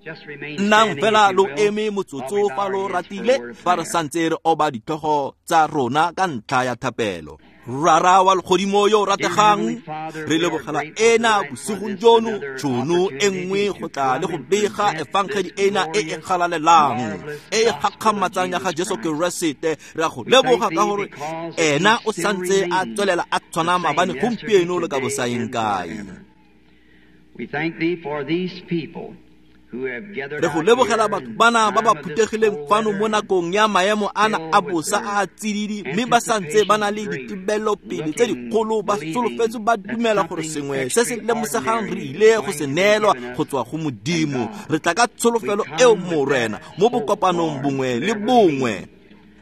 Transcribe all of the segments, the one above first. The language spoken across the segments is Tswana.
Nnang fela lo eme motsotso fa lo ratile fa re santse re oba ditlhogo tsa rona ka ntlha ya thapelo. Rara wa legodimo yo o rategang, re lebogela ena bosigong jono tšhono e nngwe go tla le go bega efangedi ena e e galalelang e e gakgamatsang ya ga Jesu Keresete. Re a go leboga ka gore ena o santse a tswelela a tshwana maabane, gompieno le ka bosaeng kae. We thank thee for these people who have gathered Re go out lebogela here batho in bana ba ba time of this phuthegileng cold fano mo weather nakong ya maemo ana a filled with bosa their a a tsididi, mme ba santse ba na le anticipation ditebelopele tse looking, dikgolo, ba believing solofetse, ba that dumela gore something sengwe se se lemosegang re extraordinary ile is go se going to be neelwa given us go tswa go Modimo. and God. Re tla ka We tsholofelo eo come with Morena that mo hope, bokopanong Lord, bongwe le every bongwe. meeting.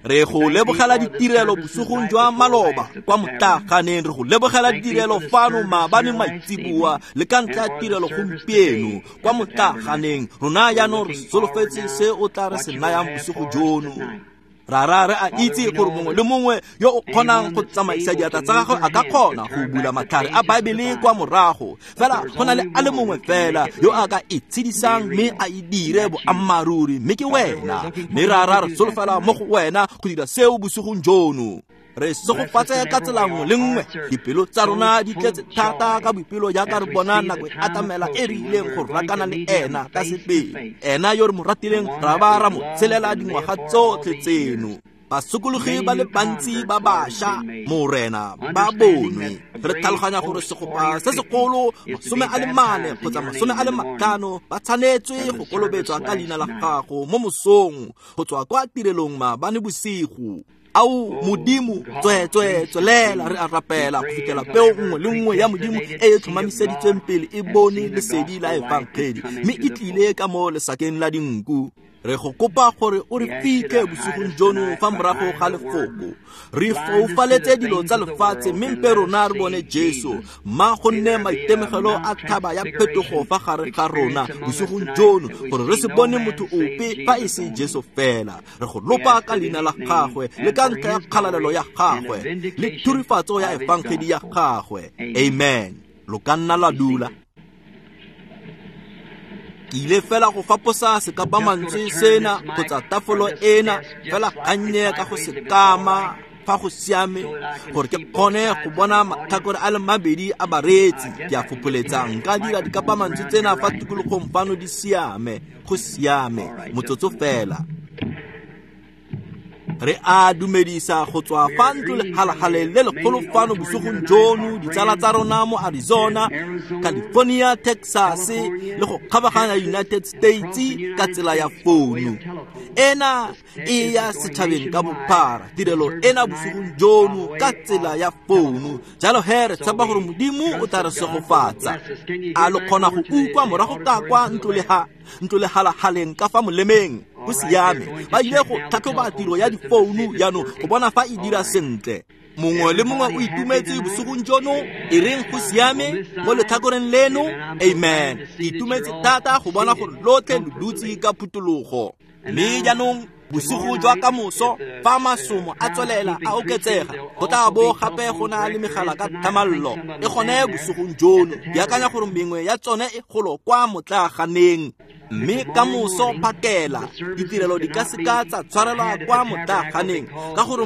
Re We go thank thee lebogela for the ditirelo services bosigong night jwa before maloba last at the kwa tavern. motlaganeng, re go lebogela Thank thee ditirelo for the fano service maabane here last maitseboa evening le ka ntlha and ya for the tirelo service gompieno today kwa at the tabernacle. motlaganeng. Rona We're jaanong re looking forward solofetse now se o tla re what se you will nayang have bosigo for us jono. tonight. Rara, re a Father, itse we gore know mongwe that le mongwe yo o kgonang anyone go that's tsamaisa able diatla to tsa move gagwe their a ka hands to kgona go turn bula back the matlhare a pages of the Baebele kwa Bible, morago, but fela there's go na le only a le one mongwe who can make fela it yo a real ka e and be tshedisang mme real, a e and dire that's you. boammaaruri, mme ke Father, we're wena. looking Mme for you rara, to re do that solofela mo tonight. go wena go dira seo bosigong jono. Re Bless us segofatse in ka every tsela way. nngwe Our le nngwe. hearts are Dipelo tsa so rona di full tletse of thata joy ka boipelo jaaka as re we bona see the nako e time atamela e re approaching when ileng we're go going to rakana le meet him ena ka face to sebele, face, ena yo re mo the ratileng one ra that ba we've ra mo loved tshelela and lived dingwaga for all tsotlhe these years. tseno. Basokologi Many ba le new bantsi converts, ba Lord, have bašwa been made, Morena ba understanding bonwe. that a Re great tlhaloganya gore host, segopa 40 or se 50, segolo is to be 44 baptized in kgotsa your name 45 in the morning ba tshwanetswe from go the service kolobetswa ka last leina la night. gago mo mosong go tswa kwa tirelong maabane bosigo. Ao Oh, Modimo, God, tsweetswee please tswelela, re continue. a We rapela go pray fitlhela until peo every nngwe le nngwe ya Modimo predestinated e e seed of tlhomamiseditsweng God pele e has bone seen the lesedi la gospel light and efangedi come mme into e the tlile fold. ka mo lesakeng la dinku. Re go kopa gore o re We ask you fitlhe to hide bosigong us jono tonight fa morago behind ga the word, lefoko. Re blind us to the foufaletse dilo things tsa of the lefatshe world, mme and mpe let us rona re bone see Jesu. Jesus. Mma go May nne there be a maitemogelo a Mount thaba ya phetogo Transfiguration fa gare ga rona experience among us bosigong tonight jono, that we gore re see se no bone man motho save ope fa e Jesus se only. Jesu fela. Re go We lopa ask ka it in leina la his name gagwe le and ka for ntlha ya his kgalalelo glory ya and the gagwe le vindication thurifatso ya of his efangedi ya gospel. gagwe. Amen. Amen. Lo ka nna la Be dula. seated. Ke ile fela go faposa I'm just going to sekapamantswe turn sena this mic kgotsa or tafolo this ena desk just fela slightly gannye ka go sideways se if it's all kama right, fa go siame, so that I can gore ke see both kgone go sides of bona the audience. matlhakore a le mabedi a bareetsi. I Ke guess a I can just fopholetsa move nka this dira microphone dikapamantswe around tsena here, fa right? tikologong fano di siame. Go siame, All right, just motsotso a moment. fela. Re a dumedisa go tswa We fa are ntlo greeting from legalagale the le legolo main fano auditorium here bosigong tonight jono, our ditsala tsa friends rona mo in Arizona, Arizona, California, Texas le California, go kgabaganya Texas, United and across States the ka United tsela ya States by way founu. of telephone. Ena This e is ya going setšhabeng ka nationwide. bophara The tirelo service ena tonight bosigong by jono ka way tsela of ya founu. telephone. Jalo he re So tshepa gore we Modimo o trust tla re that God will segofatsa. bless us. Can you A hear lo back kgona over go to the, utlwa the morago ka auditorium kwa to the ntlo left? ntlo legalagaleng ka fa molemeng? Go All right, they're siame. going to Ba ile check go now the tlhatlhoba telephone tiro ya system to see difounu if it's jaanong go working. bona fa e All dira right. sentle. Mongwe le mongwe o Everybody happy itumetse tonight? bosigong jono? E reng go On siame this mo side? letlhakoreng leno? Amen. I'm so glad Amen. to Ke see that you're itumetse all thata go bona gore seated lotlhe lo dutse comfortably. ka phutologo. And Mme now, jaanong bosigo tomorrow jwa night, ka moso if the fa masomo a crowds tswelela keep a increasing, oketsega, there'll go tla also bo be gape go telephone na le megala directories ka tonight. I think thamallo some of e them are gone down there bosigong at jono. the Ke akanya gore tabernacle. mengwe ya tsone e golo kwa motlaganeng. And Mme ka tomorrow moso morning, phakela the services ditirelo di ka cannot seka be tsa tshwarelwa had at kwa the tabernacle motlaganeng because ka gore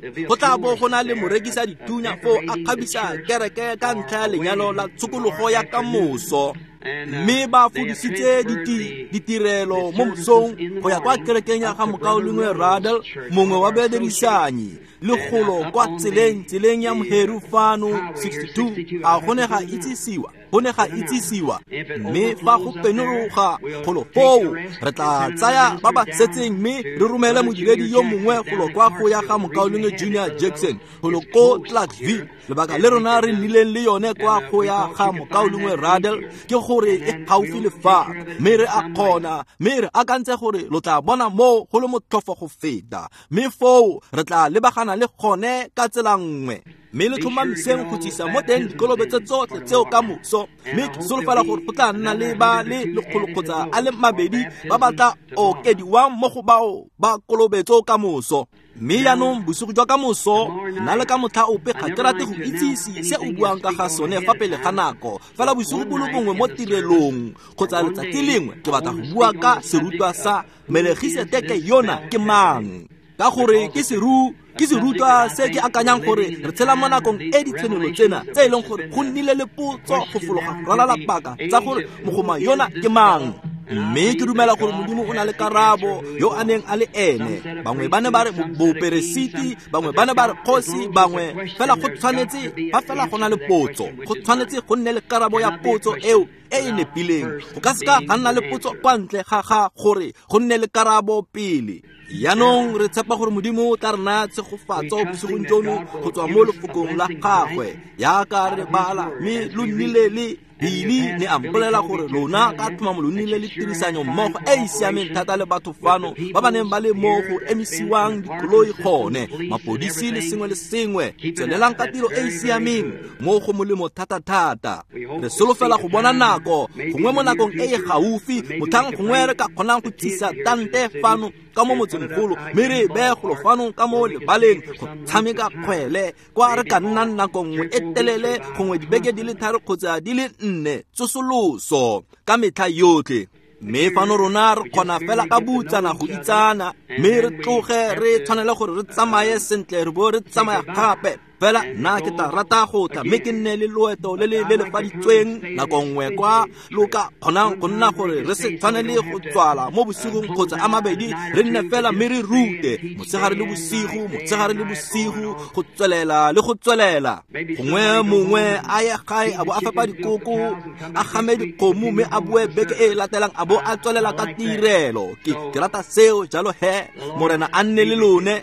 there'll be a go tla bo florist go na le there morekisa dithunya foo a decorating the kgabisa church kereke ka for ntlha ya a lenyalo la wedding tomorrow tshokologo ya ka afternoon. moso. And Mme ba they have fodisitse transferred the ditirelo the mo services mosong in the go ya kwa morning kerekeng ya up ga to Brother mokaulengwe Ruddell's Radel, church, mongwe one of wa our associates, badirisanyi, le and golo up kwa on tseleng the tseleng ya the Moheru fano highway here, 62. 62. A I go have ne to ga do it now. itsisiwa, go ne ga Been announced. itsisiwa. If it Mme fa go overflows up there, penologa we'll golo take the foo, rest re and tla send another tsaya ba minister ba down setseng mme to re romele Brother modiredi Junior yo mongwe Jackson golo down at kwa go ya ga Clarksville. The reason we mokaulengwe had it, Junior Brother Ruddell, Jackson golo is ko close Clarksville. here Lebaka and le we rona could re nnileng le yone kwa and go we ya thought ga you could find mokaulengwe that Radel easier. ke gore And e then gaufi we'll le take fa, care of it mme in re a some way. kgona, mme re akantse gore lo tla bona moo go le motlhofo go feta, mme foo re tla lebagana le gone ka tsela nngwe. Mme le tlhomamiseng go tsisa mo teng dikolobetso tsotlhe tseo ka moso, mme ke solofela gore go tla nna le ba le 100 kgotsa a le 2 ba ba tla okediwang mo go bao ba kolobetso ka moso. Mme jaanong bosigo jwa ka moso, nna le ka motlha ope ga ke rate go itsise se o buang ka ga sone fa pele ga nako, fela bosigo bo le bongwe mo tirelong kgotsa letsatsi lengwe ke batla go bua ka serutwa sa Melegiseteke yona ke mang, ka gore ke serutwa se ke akanyang gore re tshela mo nakong e ditshenolo tsena tse e leng gore go nnile le potso go fologa go ralala paka tsa gore mogoma yona ke mang. Mme ke dumela gore Modimo o na le karabo yo a neng a le ene. Bangwe ba ne ba re boperesiti, bangwe ba ne ba re kgosi, bangwe fela go tshwanetse fa fela go na le potso, go tshwanetse go nne le karabo ya potso eo e e nepileng. Go ka seka ga nna le potso kwa ntle ga ga gore go nne le karabo pele. Jaanong re tshepa gore Modimo o tla re naya tshegofatso bosigong jono go tswa mo lefokong la gagwe jaaka re bala, mme lo nnile le Billy ne a mpolela gore lona ka tlhomamo lo nnile le tirisanyo mmogo e e siameng thata le batho fano ba ba neng ba le mo go emisiwang dikoloi gone, mapodisi le sengwe le sengwe. Tswelelang ka tiro e e siameng mo go molemo thata-thata. Re solofela go bona nako gongwe mo nakong e e gaufi motlhang gongwe re ka kgonang go tsisa tante fano ka mo motsemogolo, mme re beye golo fano ka mo lebaleng go tshameka kgwele kwa re ka nnang nako nngwe e telele, gongwe dibeke di le 3 kgotsa di le 4 tsosoloso ka metlha yotlhe. Mme fano rona re kgona fela ka butsana go itsana, mme re tloge re tshwanele gore re tsamaye sentle re bo re tsamaya gape. Fela nna ke tla rata go tla mme ke nne le loeto le le lelefaditsweng nako nngwe kwa lo ka kgonang go nna gore re se tshwanele go tswala mo bosigong kgotsa a mabedi, re nne fela mme re rute motshegare le bosigo, motshegare le bosigo, go tswelela le go tswelela. Gongwe mongwe a ye gae a bo a fepa dikoko, a game dikgomo, mme a boe beke e e latelang a bo a tswelela ka tirelo. Ke rata seo jalo he, Morena a nne le lone.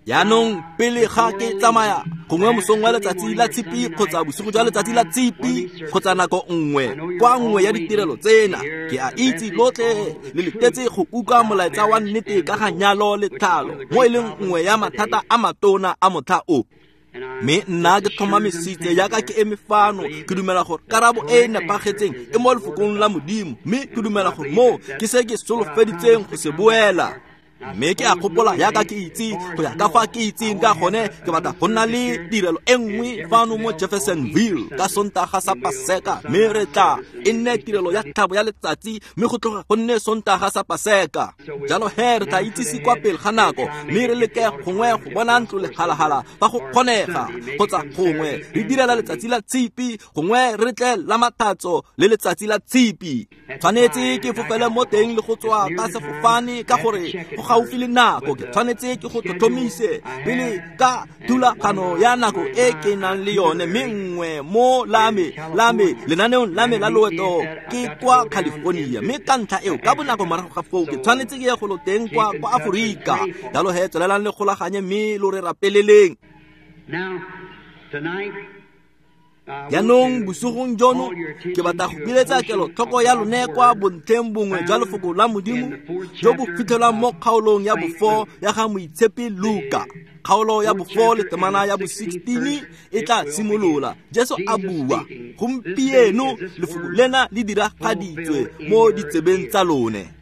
Jaanong pele ga ke tsamaya, gongwe mosong wa letsatsi la Tshipi kgotsa bosigo jwa letsatsi la Tshipi kgotsa nako nngwe kwa nngwe ya ditirelo tsena, ke a itse lotlhe le letetse go utlwa molaetsa wa nnete ka ga nyalo le tlhalo, mo e leng nngwe ya mathata a matona a motlha o. Mme nna ke tlhomamisitse jaaka ke eme fano, ke dumela gore karabo e e nepagetseng e mo lefokong la Modimo, mme ke dumela gore moo ke se ke solofeditseng go se boela. Mme ke a gopola jaaka ke itse go ya ka fa ke itseng ka gone, ke batla go nna le tirelo e nngwe fano mo Jeffersonville ka Sontaga sa Paseka, mme re tla e nne tirelo ya tlhabo ya letsatsi, mme go tloga go nne Sontaga sa Paseka. Jalo he re tla itsise kwa pele ga nako, mme re leke gongwe go bona ntlo legalagala fa go kgonega, kgotsa gongwe re direla letsatsi la Tshipi, gongwe re tle la Mathatso le letsatsi la Tshipi. Tshwanetse ke fofele mo teng le go tswa ka sefofane ka gore go gaufi le nako, ke tshwanetse ke go tlhotlhomise pele ka thulagano ya nako e ke nang le yone, mme nngwe mo lame lenaneong la me la loeto ke kwa California, mme ka ntlha eo ka bonako morago ga foo ke tshwanetse ke ye golo teng kwa Aforika. Jalo he tswelelang le golaganye mme lo re rapeleleng. Jaanong bosigong jono ke batla go biletsa kelotlhoko ya lone kwa bontlheng bongwe jwa lefoko la Modimo jo bo fitlhelwang mo kgaolong ya bo-4 ya ga Moitshepi Luka. Kgaolo ya bo-4 le temana ya bo-16 e tla simolola. Jesu a bua, gompieno lefoko lena le diragaditswe mo ditsebeng tsa lone.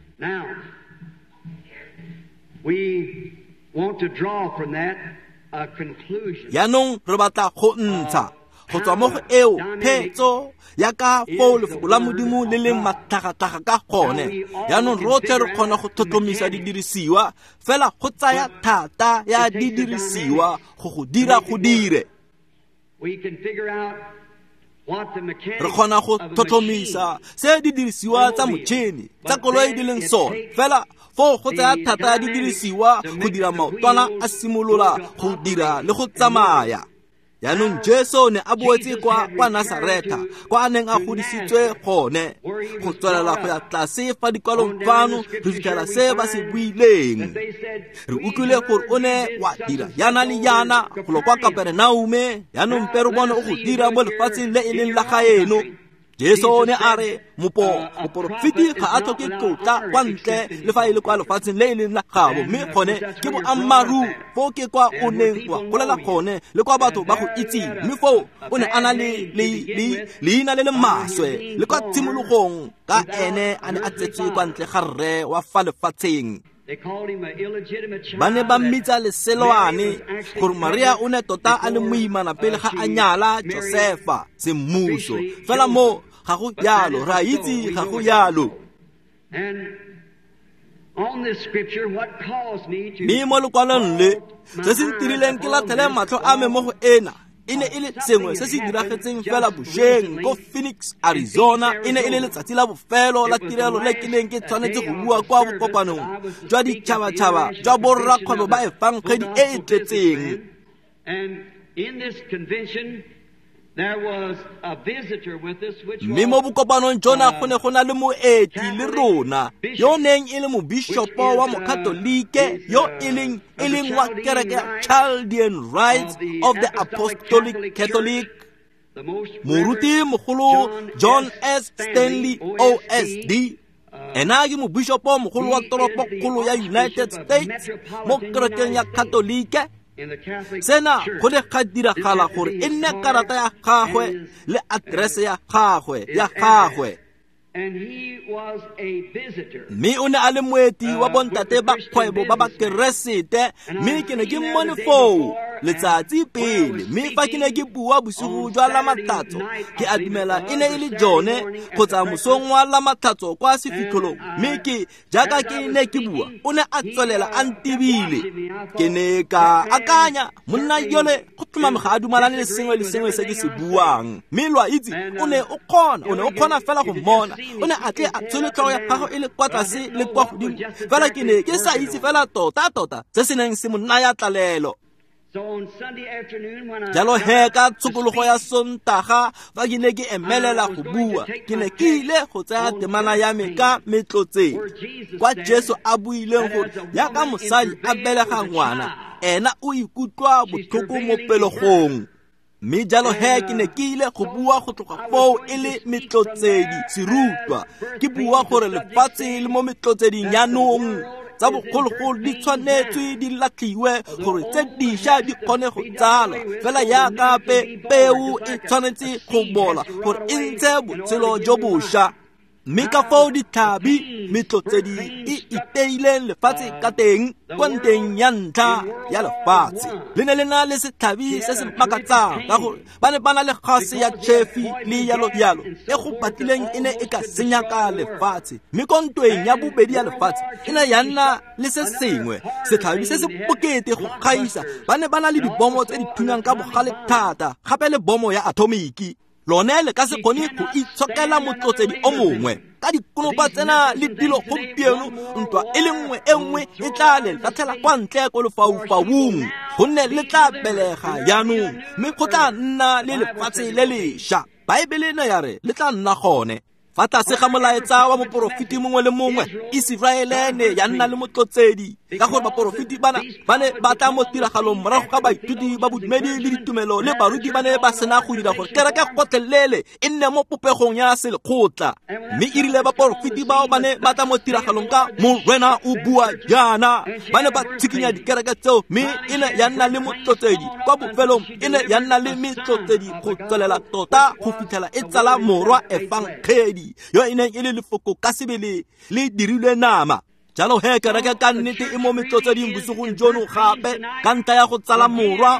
Jaanong re batla go ntsha go tswa mo go eo phetso ya ka foo lefoko la Modimo le leng matlhagatlhaga ka gone. Jaanong rotlhe re kgona go tlhotlhomisa didirisiwa, fela go tsaya thata ya didirisiwa go go dira go dire. Re kgona go tlhotlhomisa se didirisiwa tsa motšhini tsa koloi di leng sone, fela foo go tsaya thata ya didirisiwa go dira maotwana a simolola go dira le go tsamaya. Jaanong Jesu ne a boetse kwa Nasaretha, kwa a neng a godisitswe gone, go tswelela go ya tlase fa dikwalong fano re fitlhela se ba se buileng. Re utlwile gore o ne wa dira yana le yana golo kwa Kaperenaume, jaanong mpe re bone o go dira mo lefatsheng le e leng la gaeno. Jesu o ne a re moporofeti ga a tlhoke tlotla kwa ntle le fa e le kwa lefatsheng le e leng la gabo, mme gone ke boammaaruri. Foo ke kwa o neng wa golela gone le kwa batho ba go itseng, mme foo o ne a na le leina le le maswe le kwa tshimologong ka ene a ne a tsetswe kwa ntle ga rre wa fa lefatsheng. Ba ne ba mmitsa leselwane gore Maria o ne tota a le moimana pele ga a nyala Josefa semmuso. Fela mo ga go jalo, re a itse ga go jalo. Mme mo lekwalong le, se se ntirileng ke latlhele matlho a me mo go ena e ne e le sengwe se se diragetseng fela bošweng ko Phoenix, Arizona. E ne e le letsatsi la bofelo la tirelo le ke neng ke tshwanetse go bua kwa bokopanong jwa ditšhabatšhaba jwa borrakgwebo ba efangedi e e tletseng. Mme mo bokopanong jona go ne go na le moeti le rona yo neng e le mobishopo wa mokatolike yo e leng wa kereke ya Chaldean Rites of the Apostolic Catholic, moruti mogolo John S. Stanley OSD. Ena ke mobishopo mogolo wa toropokgolo ya United States mo kerekeng ya Katolike. Sena go ne ga diragala gore e nne karata ya gagwe le aterese ya gagwe. Mme o ne a le moeti wa bontate ba kgwebo ba bakeresete, mme ke ne ke mmone foo letsatsi pele. Mme fa ke ne ke bua bosigo jwa Lamatlhatso, ke a dumela e ne e le jone kgotsa mosong wa Lamatlhatso kwa sefitlholong, mme ke jaaka ke ne ke bua o ne a tswelela a ntebile. Ke ne ka akanya, monna yole go tlhomame ga a dumalane le sengwe le sengwe se ke se buang. Mme lo a itse, o ne o kgona fela go mmona. O ne a tle a tshole tlhogo ya gagwe e le kwa tlase le kwa godimo, fela ke ne ke sa itse fela tota-tota se se neng se mo naya tlalelo. Jalo he ka tshokologo ya Sontaga fa ke ne ke emelela go bua, ke ne ke ile go tsaya temana ya me ka metlotseng kwa Jesu a buileng gore jaaka mosadi a belega ngwana, ena o ikutlwa botlhoko mo pelegong. Mme jalo he ke ne ke ile go bua go tloga foo e le metlotsedi serutwa, ke bua gore lefatshe le mo metlotseding jaanong tsa bogologolo di tshwanetswe di latlhiwe gore tse dišwa di kgone go tsalwa, fela jaaka peo e tshwanetse go bola gore e ntshe botshelo jo bošwa. Mme ka foo ditlhabi metlotsedi e iteileng lefatshe ka teng kwa nteng ya ntlha ya lefatshe, le ne le na le setlhabi se se makatsang ka gore ba ne ba na le gase ya tšhefi le yalo-yalo e go batlileng e ne e ka senyaka lefatshe. Mme ko ntweng ya bobedi ya lefatshe e ne ya nna le se sengwe setlhabi se se bokete go gaisa. Ba ne ba na le dibomo tse di thunyang ka bogale thata, gape le bomo ya atomiki. Lone le ka se kgone go itshokela motlotsedi o mongwe ka dikonopa tsena le dilo gompieno. Ntwa e le nngwe e nngwe e tla le latlhela kwa ntle ko lefaufaung, gonne le tla belega jaanong, mme go tla nna le lefatshe le lešwa. Baebele ne ya re le tla nna gone. Fa tlase ga molaetsa wa moporofeti mongwe le mongwe, Iseraele ne ya nna le motlotsedi, ka gore baporofeti bana ba ne ba tla mo tiragalong morago ga baithuti ba bodumedi le ditumelo le baruti ba ne ba sena go dira gore kereke gotlhelele e nne mo popegong ya selekgotla. Mme e rile baporofeti bao ba ne ba tla mo tiragalong ka Morena o bua jaana, ba ne ba tshikinya dikereke tseo, mme e ne ya nna le motlotsedi. Kwa bofelong e ne ya nna le metlotsedi go tswelela tota go fitlhela e tsala morwa efangedi yo e neng e le lefoko ka sebele le dirilwe nama. Jalo he kereke ka nnete e mo metlotseding bosigong jono gape ka ntlha ya go tsala morwa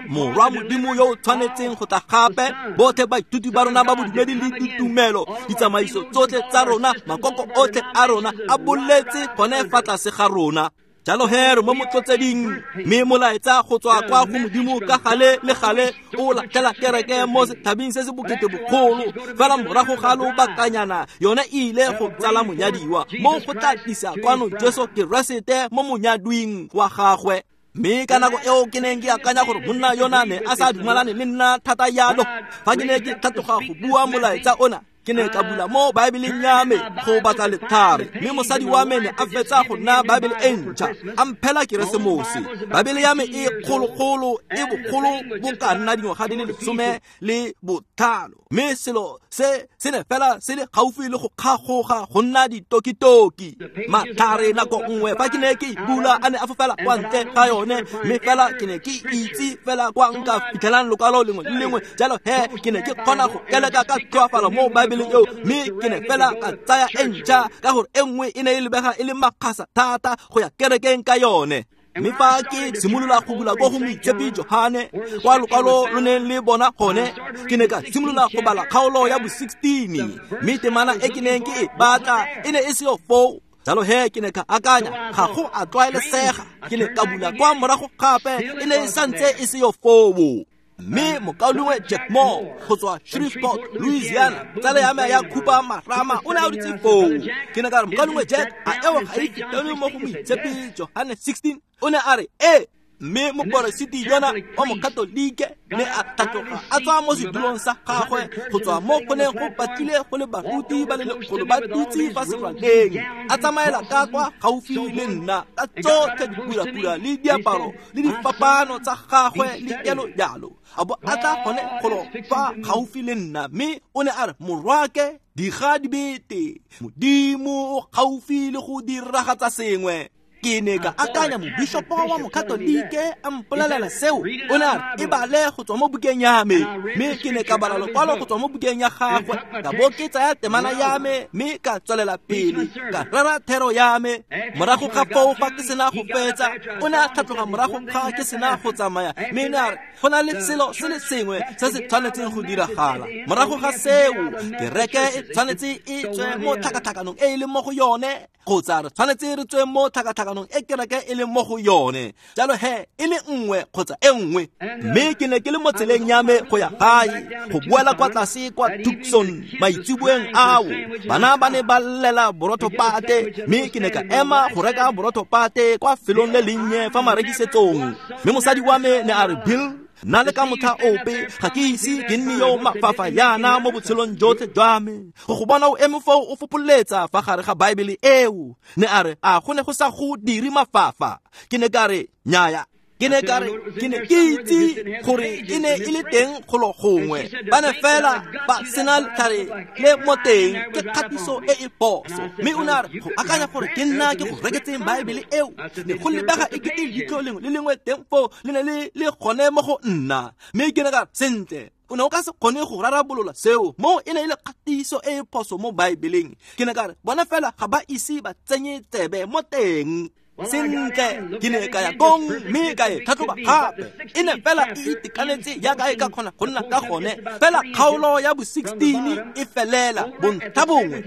Modimo yo o tshwanetseng go tla gape. Botlhe baithuti ba rona ba bodumedi le ditumelo, ditsamaiso tsotlhe tsa rona, makoko otlhe a rona a boletse gone fa tlase ga rona. Jalo he re mo motlotseding, mme molaetsa go tswa kwa go Modimo ka gale le gale o latlhela kereke mo setlhabing se se bokete bogolo. Fela morago ga lobakanyana yone e ile go tsala monyadiwa, mo go tla tlisa kwano Jesu Keresete mo monyadwing wa gagwe. Mme ka nako eo ke neng ke akanya gore monna yona ne a sa dumalane le nna thata yalo, fa ke ne ke tlhatloga go bua molaetsa ona, Ke ne ka bula mo Baebeleng ya me go batla lethare, mme mosadi wa me ne a fetsa go nna Baebele e ntšha, a mphela Keresemose. Baebele ya me e kgologolo, e bogolo bo ka nna dingwaga di le 15, mme selo se se ne fela se le gaufi le go kgagoga go nna ditokitoki. Matlhare nako nngwe fa ke ne ke bula a ne a fofela kwa ntle ga yone, mme fela ke ne ke itse fela kwa nka fitlhelang lokwalo lengwe le lengwe. Jalo he ke ne ke kgona go keleka ka tlhoafalo mo Baebeleng eo, mme ke ne fela ka tsaya e ntšha ka gore e nngwe e ne e lebega e le makgasa thata go ya kerekeng ka yone. Mme fa ke simolola go bula ko go Moitshepi Johane kwa lokwalo lo neng le bona gone, ke ne ka simolola go bala kgaolo ya bo-16, mme temana e ke neng ke e batla e ne e seo foo. Jalo he ke ne ka akanya, ga go a tlwaelesega. Ke ne ka bula kwa morago gape, e ne e santse e seo foo. Mme mokaulengwe Jack Moore go tswa Shreveport, Louisiana, tsala ya me ya khupa marama, o ne a dutse foo. Ke ne ka re, mokaulengwe Jack, a eo ga e fitlhelwe mo go Moitshepi Johane 16? O ne a re, ee. Mme moporesiti yona wa mokatolike ne a tlhatloga a tswa mo sedulong sa gagwe go tswa mo go neng go batlile go le baruti ba le lekgolo ba dutse fa seraleng, a tsamaela ka kwa gaufi le nna ka tsotlhe dipurapura le diaparo le difapano tsa gagwe le jalo jalo, a bo a tla gone golo fa gaufi le nna, mme o ne a re, morwake, diga dibete, Modimo o gaufi le go diragatsa sengwe. Ke ne ka akanya, mobishopo wa mokatolike a mpolelela seo. O ne a re, e bale go tswa mo bukeng ya me, mme ke ne ka bala lokwalo go tswa mo bukeng ya gagwe, ka bo ke tsaya temana ya me, mme ka tswelela pele ka rera thero ya me. Morago ga foo, fa ke sena go fetsa, o ne a tlhatloga morago ga ke sena go tsamaya, mme ne a re, go na le selo se le sengwe se se tshwanetseng go diragala. Morago ga seo, kereke e tshwanetse e tswe mo tlhakatlhakanong e e leng mo go yone, kgotsa re tshwanetse re tswe mo tlhakatlhakanong e kereke e leng mo go yone. Jalo he e le nngwe kgotsa e nngwe. Mme ke ne ke le mo tseleng ya me go ya gae, go boela kwa tlase kwa Tucson maitsiboeng ao. Bana ba ne ba llela borotho pate, mme ke ne ka ema go reka borotho pate kwa felong le lennye fa marekisetsong. Mme mosadi wa me ne a re, Bill, nna le ka motlha ope ga ke ise ke nne yo mafafa yana mo botshelong jotlhe jwa me, go bona o eme foo o fopoletsa fa gare ga Baebele eo. Ne a re, a go ne go sa go dire mafafa? Ke ne ka re, nnyaya. Ke ne ka re, ke ne ke itse gore e ne e le teng golo gongwe, ba ne fela ba sena letlhare le mo teng, ke kgatiso e e phoso. Mme o ne a re, go akanya gore ke nna ke go reketseng Baebele eo, ne go lebega e kete leitlho lengwe le lengwe teng foo le ne le le gone mo go nna. Mme ke ne ka re, sentle, o ne o ka se kgone go rarabolola seo, mo e ne e le kgatiso e e phoso mo Baebeleng. Ke ne ka re, bona fela ga ba ise ba tsenye tsebe mo teng. Sentle, ke ne ka ya kong mme ka e tlhatlhoba gape, e ne fela e itekanetse jaaka e ka kgona go nna ka gone. Fela kgaolo ya bo-16 e felela bontlhabongwe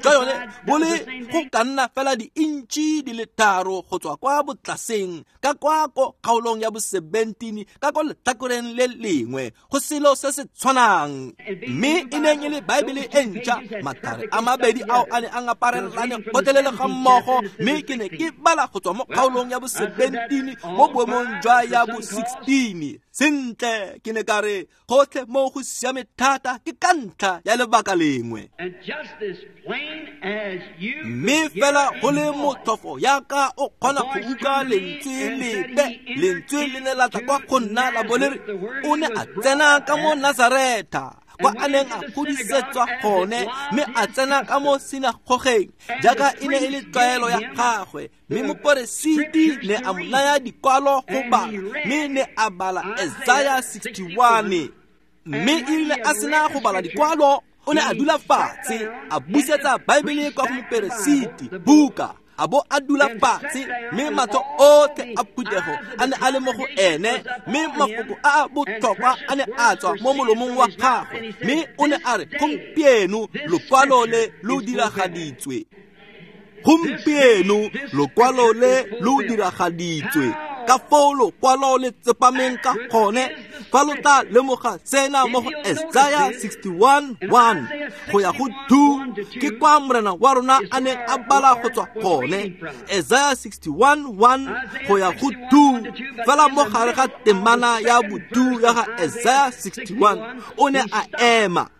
jwa yone bo le go ka nna fela di-intšhi di le 3 go tswa kwa botlaseng ka kwa ko kgaolong ya bo-17 ka ko letlhakoreng le lengwe, go selo se se tshwanang. Mme e neng e le Baebele e ntšha, matlhare a mabedi ao a ne a ngaparelane gotlhelele ga mmogo, mme ke ne ke bala go tswa mo kgaolong ya bo-17 mo boemong jwa ya bo-16. Sentle, ke ne ka re, gotlhe mo go siame thata ke ka ntlha ya lebaka lengwe. Mme fela go le motlhofo yaka o kgona go utlwa lentswe lepe, lentswe le ne la tla kwa go nna la bo le re, o ne a tsena ka mo Nazaretha, kwa a neng a godisetswa gone, mme a tsena ka mo sinagogeng jaaka e ne e le tlwaelo ya gagwe. Mme moporesiti ne a mo naya dikwalo go bala, mme ne a bala Isaiah 61. Mme e rile a sena go bala dikwalo, o ne a dula fatshe, a busetsa Baebele kwa go moperesiti buka, a bo a dula fatshe, mme matlho otlhe a phuthego a ne a le mo go ene, mme mafoko a a botlhokwa a ne a tswa mo molomong wa gagwe. Mme o ne a re, gompieno lokwalo le lo diragaditswe. Gompieno lokwalo le lo diragaditswe. Ka foo lokwalo le tsepameng ka gone, fa lo tla lemoga sena mo go Isaiah 61:1 go ya go 2, ke kwa Morena wa rona a neng a bala go tswa gone. Isaiah 61:1 go ya go 2, fela mo gare ga temana ya bo 2 ya ga Isaiah 61, o ne a ema.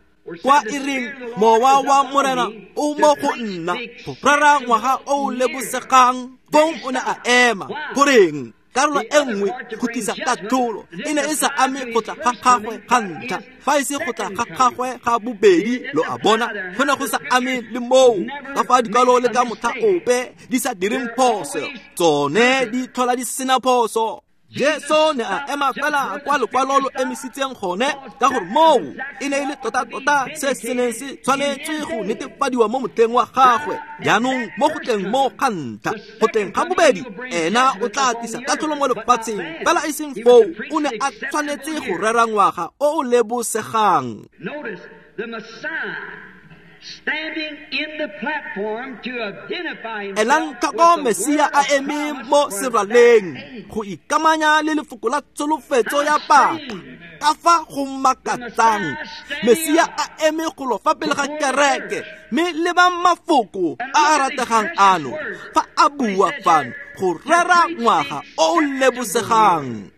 Kwa e reng mowa wa Morena o mo go nna go rera ngwaga o o lebosegang. Fong o ne a ema. Goreng? Karolo e nngwe go tlisa katlholo e ne e sa ame go tla ga gagwe ga ntlha, fa e se go tla ga gagwe ga bobedi. Lo a bona, go ne go sa ame le moo ka fa dikwalo le ka motlha ope di sa direng phoso, tsone di tlhola di sena phoso. Jesu ne a ema fela kwa lekwalo lo emisitseng gone, ka gore moo e ne e le tota-tota se se neng se tshwanetswe go netefadiwa mo motlheng wa gagwe. Jaanong mo go tleng mo ga ntlha, go tleng ga bobedi, ena o tla tlisa katlholo mo lefatsheng, fela e seng foo. O ne a tshwanetse go rera ngwaga o o lebosegang. Elang tlhoko Mesia a eme mo seraleng go ikamanya le lefoko la tsholofetso ya paka. Ka fa go makatsang, Mesia a eme golo fa pele ga kereke, mme lebang mafoko a a rategang ano fa a bua fano go rera ngwaga o o lebosegang.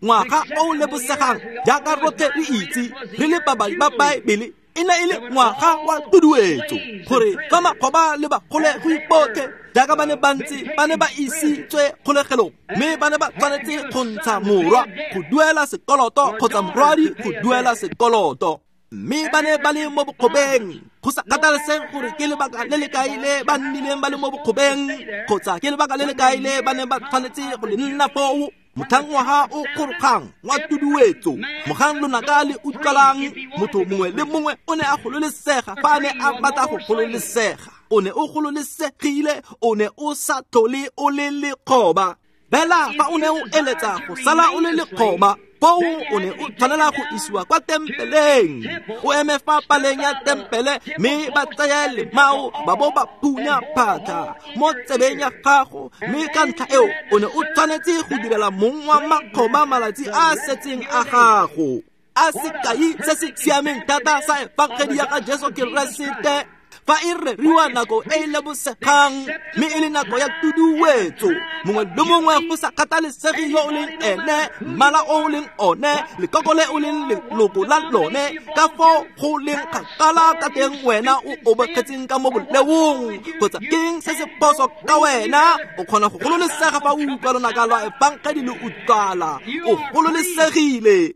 Ngwaga o o lebosegang, jaaka rotlhe re itse re le babadi ba Baebele, e ne e le ngwaga wa tuduetso, gore fa makgoba le bagolegwi botlhe jaaka ba ne ba ntse ba ne ba isitswe kgolegelong, mme ba ne ba tshwanetse go ntsha morwa go duela sekoloto kgotsa morwadi go duela sekoloto, mme ba ne ba le mo bokgobeng. Go sa kgathalesege gore ke lebaka le le kae le ba nnileng ba le mo bokgobeng, kgotsa ke lebaka le le kae le ba neng ba tshwanetse go le nna foo, motlhang ngwaga o kgorogang wa tuduetso, mogang lonaka le utlwalang, motho mongwe le mongwe o ne a gololesega fa a ne a batla go gololesega. O ne o gololesegile, o ne o sa tlhole o le lekgoba. Fela fa o ne o eletsa go sala o le lekgoba, foo o ne o tshwanela go isiwa kwa tempeleng, o eme fa paleng ya tempele, mme ba tseye lemao ba bo ba phunya phatlha mo tsebeng ya gago, mme ka ntlha eo o ne o tshwanetse go direla mong wa makgoba malatsi a a setseng a gago. A sekai se se siameng thata sa efangedi ya ga Jesu Keresete fa e reriwa nako e e lebosegang, mme e le nako ya tuduetso. Mongwe le mongwe, go sa kgathalesege yo o leng ene, mmala o o leng one, lekoko le o leng leloko la lone, ka foo go leng kgakala ka teng wena o obegetseng ka mo boleong, kgotsa keng se se phoso ka wena, o kgona go gololesega fa o utlwa lonaka lwa efangedi le utlwala. O gololesegile.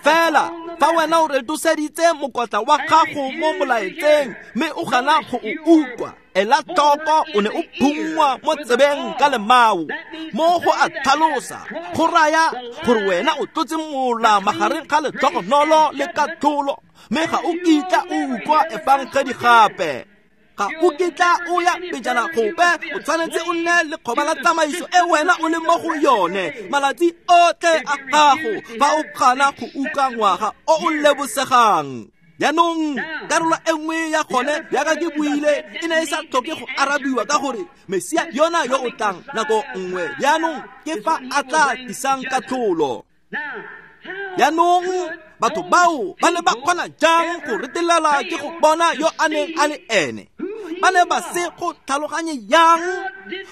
Fela fa wena o retoseditse mokotla wa gago mo molaetseng mme o gana go o utlwa, ela tlhoko, o ne o phunngwa mo tsebeng ka lemao. Mo go a tlhalosa go raya gore wena o tlotse mola magareng ga letlhogonolo le katlholo, mme ga o kitla o utlwa efangedi gape. Ga o kitla o ya pejana gope, o tshwanetse o nne lekgoba la tsamaiso e wena o leng mo go yone malatsi otlhe a gago fa o gana go utlwa ngwaga o o lebosegang. Jaanong karolo e nngwe ya gone, jaaka ke buile, e ne e sa tlhoke go arabiwa ka gore Mesia yona yo o tlang nako nngwe jaanong ke fa a tla tlisang katlholo. Jaanong batho bao ba ne ba kgona jang go retelelwa ke go bona yo a neng a le ene? Ba ne ba se go tlhaloganye yang?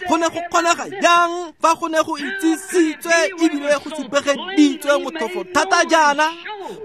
Go ne go kgonega jang fa go ne go itsisitswe ebile go supegeditswe motlhofo thata jaana?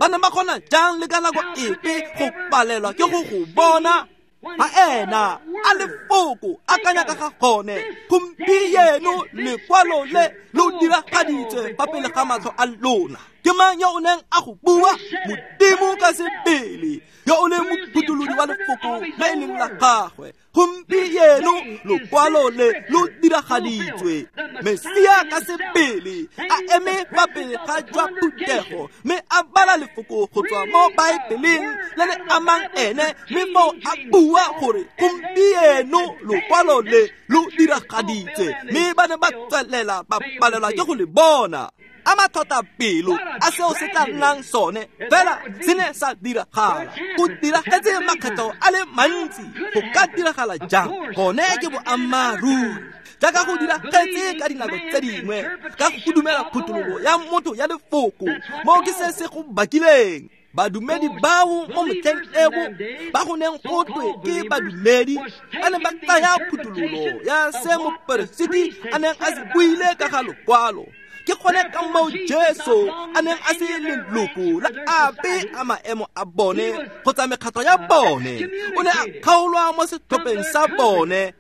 Ba ne ba kgona jang le ka nako epe go palelwa ke go go bona? Fa ena a lefoko akanya ka ga gone, gompieno lekwalo le lo diragaditswe fa pele ga matlho a lona. Ke mang yo o neng a go bua? Modimo ka sebele, yo o leng mophutholodi wa lefoko le e leng la gagwe. Gompieno lokwalo le lo diragaditswe. Mesia ka sebele a eme fa pele ga jwa phuthego, mme a bala lefoko go tswa mo Baebeleng le le amang ene, mme foo a bua gore gompieno lokwalo le lo diragaditswe, mme ba ne ba tswelela ba palelwa ke go le bona. A matlhotapelo a seo se tla nnang sone, fela se ne sa diragala. Go diragetse makgetho a le mantsi, go ka diragala jang? Gone ke boammaaruri, jaaka go diragetse ka dinako tse dingwe, ka go dumela phuthololo ya motho ya lefoko, mo ke se se go bakileng. Badumedi bao mo motlheng eo ba go neng go twe ke badumedi ba ne ba tsaya phuthololo ya se moperesiti a neng a se buile ka ga lokwalo. Ke gone ka moo Jesu a neng a se leloko la ape a maemo a bone kgotsa mekgatlho ya bone. O ne a kgaolwa mo setlhopheng sa bone,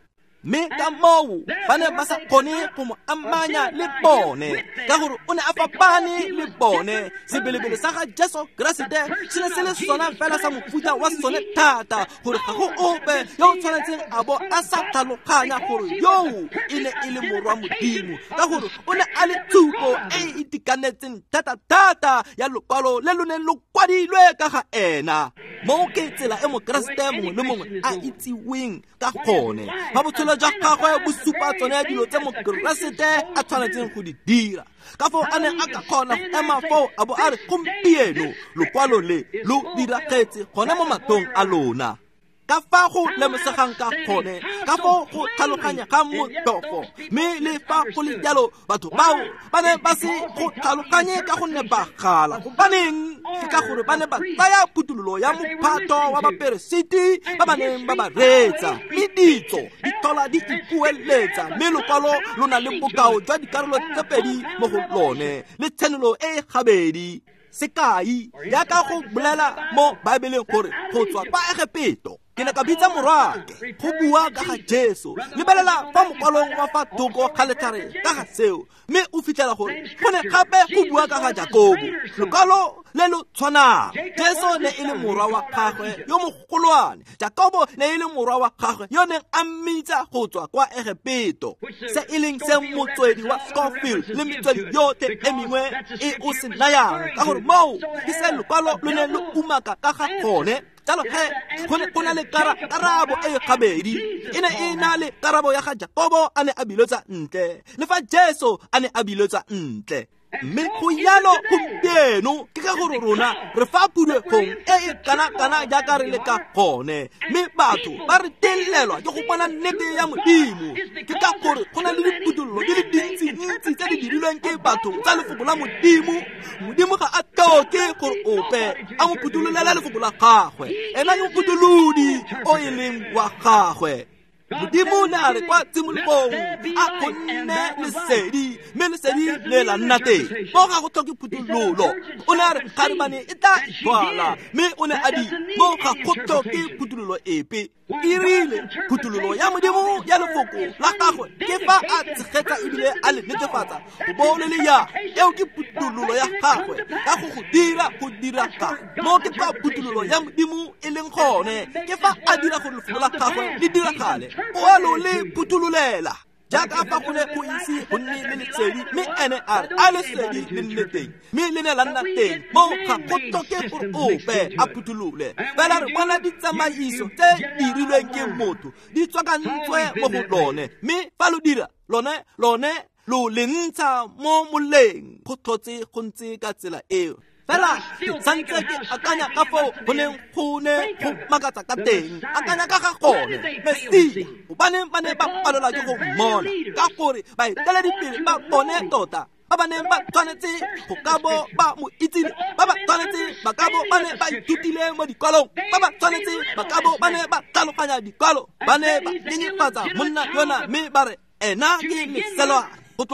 mme ka moo ba ne ba sa kgone go mo amanya le bone ka gore o ne a fapane le bone. Sebelebele sa ga Jesu Keresete se ne se le sona fela sa mofuta wa sone thata gore ga go ope yo o tshwanetseng a bo a sa tlhaloganya gore yoo e ne e le morwa Modimo, ka gore o ne a le tshupo e e itekanetseng thata-thata ya lokwalo le lo neng lo kwadilwe ka ga ena. Moo ke tsela e Mokeresete mongwe le mongwe a itsiweng ka gone. Fa botshelo jwa gagwe bo supa tsone dilo tse Mokeresete a tshwanetseng go di dira, ka foo a neng a ka kgona go ema foo a bo a re, gompieno lokwalo le lo diragetse gone mo mathong a lona. Ka fa go lemosegang ka gone, ka foo go tlhaloganyegang motlhofo, mme le fa go le jalo batho bao ba ne ba se go tlhaloganye ka gonne ba gala. Gobaneng? Ke ka gore ba ne ba tsaya phuthololo ya mophato wa baperesiti ba ba neng ba ba reetsa, mme ditso di tlhola di ipueletsa, mme lokwalo lo na le bokao jwa dikarolo tse pedi mo go lone le tshenolo e e gabedi. Sekai, jaaka go bolela mo Baebeleng gore go tswa kwa Egepeto ke ne ka bitsa morwake go bua ka ga Jesu. Lebelela fa mokwalong wa fa thoko ga letlhare ka ga seo, mme o fitlhela gore go ne gape go bua ka ga Jakobo. Lokwalo le lo tshwanang. Jesu ne e le morwa wa gagwe yo mogolwane, Jakobo ne e le morwa wa gagwe yo neng a mmitsa go tswa kwa Egepeto, se e leng se motswedi wa Scofield le metswedi yotlhe e mengwe e o se nayang, ka gore moo ke se lokwalo lo ne lo umaka ka ga gone. Jalo he go ne go na le karabo e gabedi. E ne e na le karabo ya ga Jakobo a ne a biletswa ntle, le fa Jesu a ne a biletswa ntle. Mme go jalo gompieno ke ka gore rona re fa phulegong e e kana-kana jaaka re le ka gone, mme batho ba re telelwa ke go bona nnete ya Modimo. Ke ka gore go na le diphuthololo di le dintsi-ntsi tse di dirilweng ke batho tsa lefoko la Modimo. Modimo ga a tlhoke gore ope a mo phuthololele lefoko la gagwe, ena ke mophutholodi o e leng wa gagwe. Modimo ne a re kwa tshimologong a go nne lesedi, mme lesedi le la nna teng. Mo ga go tlhoke phuthololo. O ne a re kgarebane e tla ithwala, mme o ne a di mo ga go tlhoke phuthololo epe. E rile phuthololo ya Modimo ya lefoko la gagwe ke fa a tshegetsa ebile a le netefatsa go bo le le ya. Eo ke phuthololo ya gagwe ka go go dira go diraga. Mo ke kwa phuthololo ya Modimo e leng gone, ke fa a dira gore lefoko la gagwe le diragale. O a lo le phuthololela jaaka fa go ne go ise go nne le lesedi, mme ene a re a lesedi le nne teng, mme le ne la nna teng. Mo ga go tlhoke gore ope a phutholole, fela re bona ditsamaiso tse dirilweng ke motho di tswakantswe mo go lone, mme fa lo dira lone lo le ntsha mo moleng. Go tlhotse go ntse ka tsela eo. Fela ke santse ke akanya ka foo go neng go ne go makatsa ka teng, akanya ka ga gone Mesia, gobaneng ba ne ba palelwa ke go mmona, ka gore baeteledipele ba bone tota ba ba neng ba tshwanetse go ka bo ba mo itsile, ba ba tshwanetse ba ka bo ba ne ba ithutile mo dikwalong, ba ba tshwanetse ba ka bo ba ne ba tlhaloganya dikwalo, ba ne ba nyenyefatsa monna yona mme ba re ena ke leselwane. Go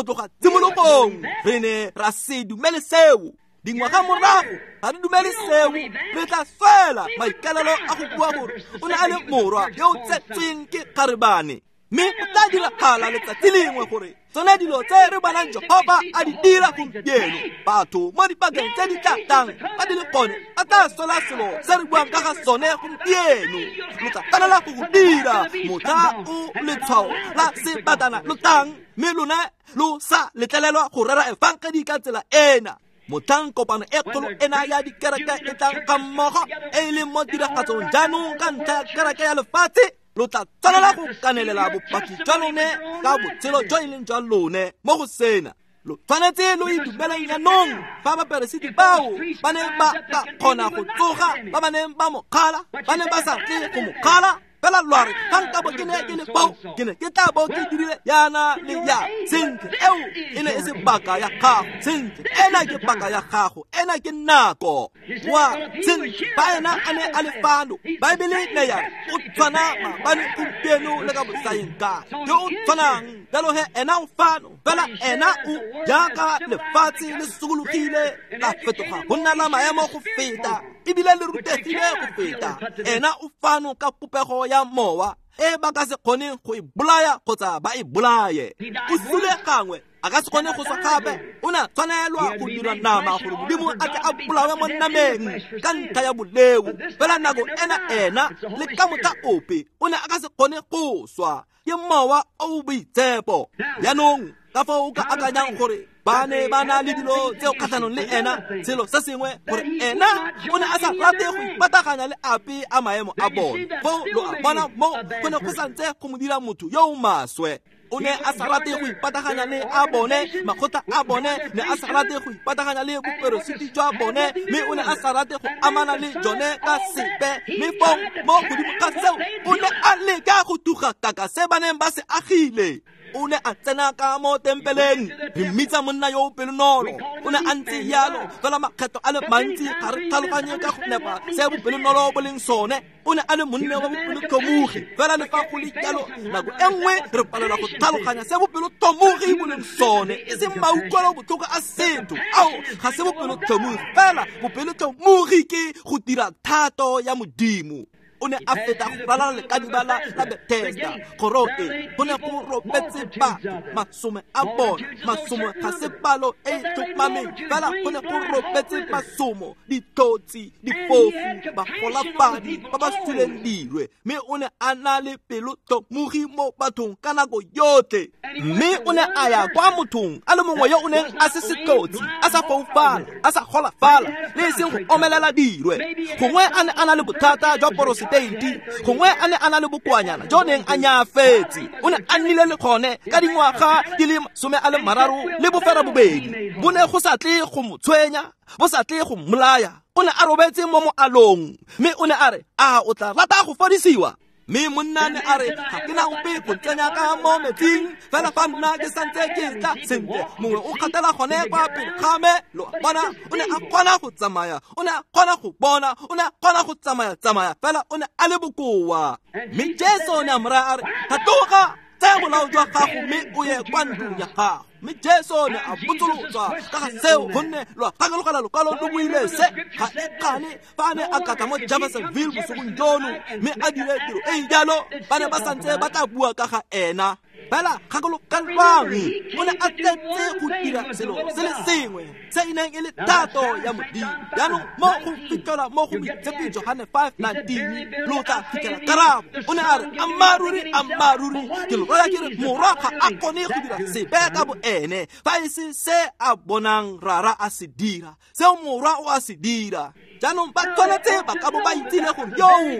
tloga tshimologong re ne ra se dumele seo. Dingwaga morago ga re dumele seo. Re tla fela maikalelo a go bua gore o ne a le morwa yo o tsetsweng ke kgarebane, mme go tla diragala letsatsi lengwe gore tsone dilo tse re bonang Jehofa a di dira gompieno, batho mo dipakeng tse di tla tlang ba di le gone ba tla sola selo se re buang ka ga sone gompieno. Lo tla tshwanela go go dira motlha o letshwao la sebatana lo tlang, mme lona lo sa letlelelwa go rera efangedi ka tsela ena. Motlhang kopano e kgolo ena ya dikereke e tlang ga mmogo e e leng mo tiragatsong jaanong ka ntlha ya kereke ya lefatshe, lo tla tshwanela go kanelela bopaki jwa lone ka botshelo jo e leng jwa lone mo go sena. Lo tshwanetse lo itumeleng jaanong fa baperesiti bao ba ne ba ka kgona go tsoga, ba ba neng ba mo kgala ba ne ba sa tle go mo kgala, fela fela lwa re ga nkabo ke ne ke le fao ke ne ke tla bo ke dirile yana le ya. Sentle, eo e ne e se paka ya gago. Sentle, ena ke paka ya gago, ena ke nako. Wa sentle, ba ena a ne a le fano. Baebele ne ya re o tshwana maabane, gompieno le ka bosaeng kae. Yo o tshwanang jalo he ena o fano, fela ena o jaaka lefatshe le sokologile la fetoga go nna la maemo go feta, ebile le rutegile go feta. Ena o fano ka popego ya mowa e ba ka se kgoneng go e bolaya kgotsa ba e bolaye. O sule gangwe, a ka se kgone go swa gape. O ne a tshwanelwa go dira nama gore Modimo a tle a bolawe mo nameng ka ntlha ya boleo. Fela nako ena ena le ka motlha ope o ne a ka se kgone go swa. Ke mowa o boitshepo. Jaanong ka foo o ka akanyang gore ba ne ba na le dilo tseo kgatlhanong le ena, selo se sengwe gore ena o ne a sa rate go ipataganya le ape a maemo a bone. Foo lo a bona mo go ne go santse go mo dira motho yo o maswe. O ne a sa rate go ipataganya le a bone, makgotla a bone, ne a sa rate go ipataganya le boperesiti jwa bone, mme o ne a sa rate go amana le jone ka sepe. Mme foo mo godimo ga seo o ne a leka go tuga kaka se ba neng ba se agile. O ne a tsena ka mo tempeleng, re mmitsa monna yo o pelonolo. O ne a ntse jalo fela makgetho a le mantsi ga re tlhaloganye ka go nepa se bopelonolo bo leng sone. O ne a le monna wa bopelotlhomogi, fela le fa go le jalo nako e nngwe re palelwa go tlhaloganya se bopelotlhomogi bo leng sone. E seng mautlwelo botlhoko a setho, ao ga se bopelotlhomogi, fela bopelotlhomogi ke go dira thato ya Modimo. O ne a feta go ralala lekadiba la Bethesda, kgoro e go ne go robetse batho masome a bona. Masomo ga se palo e e tlhomameng, fela go ne go robetse masomo, ditlotsi, difofu, bagolafadi ba ba suleng dirwe. Mme o ne a na le pelotlhomogi mo bathong ka nako yotlhe. Mme o ne a ya kwa mothong a le mongwe yo o neng a se setlotsi, a sa foufala, a sa golafala, le e seng go omelela dirwe. Gongwe a ne a na le bothata jwa poroseteiti, gongwe a ne a na le bokoanyana jo neng a nyaafetse. O ne a nnile le gone ka dingwaga di le 38. Bo ne go sa tle go mo tshwenya, bo sa tle go mmolaya. O ne a robetse mo moalong, mme o ne a re, a o tla rata go fodisiwa? Mme monna ne a re, ga ke na ope go ntsenya ka mo metsing, fela fa nna ke santse ke tla. Sentle, mongwe o kgatela gone kwa pele ga me. Lo a bona, o ne a kgona go tsamaya, o ne a kgona go bona, o ne a kgona go tsamaya-tsamaya, fela o ne a le bokoa. Mme Jesu o ne a mo raya a re, tlhatloga, tsaya bolao jwa gago mme o ye kwa ntlong ya gago. Mme Jesu ne a botsolotswa ka ga seo, gonne lo a gakologela lokwalo lo buile se. Ga e kgane fa a ne a katla mo Jeffersonville bosigong jono mme a dire tiro e e jalo, ba ne ba santse ba tla bua ka ga ena. Fela gakologelwang, o ne a tletse go dira selo se le sengwe se e neng e le thato ya Modimo. Jaanong mo go fitlhelwa mo go Moitshepi Johane 5:19 lo tla fitlhela karabo. O ne a re, ammaaruri, ammaaruri, ke lo raya ke re, morwa ga a kgone go dira sepe ka bo ene, fa e se se a bonang rara a se dira, seo morwa o a se dira. Jaanong ba tshwanetse ba ka bo ba itsile gore yoo e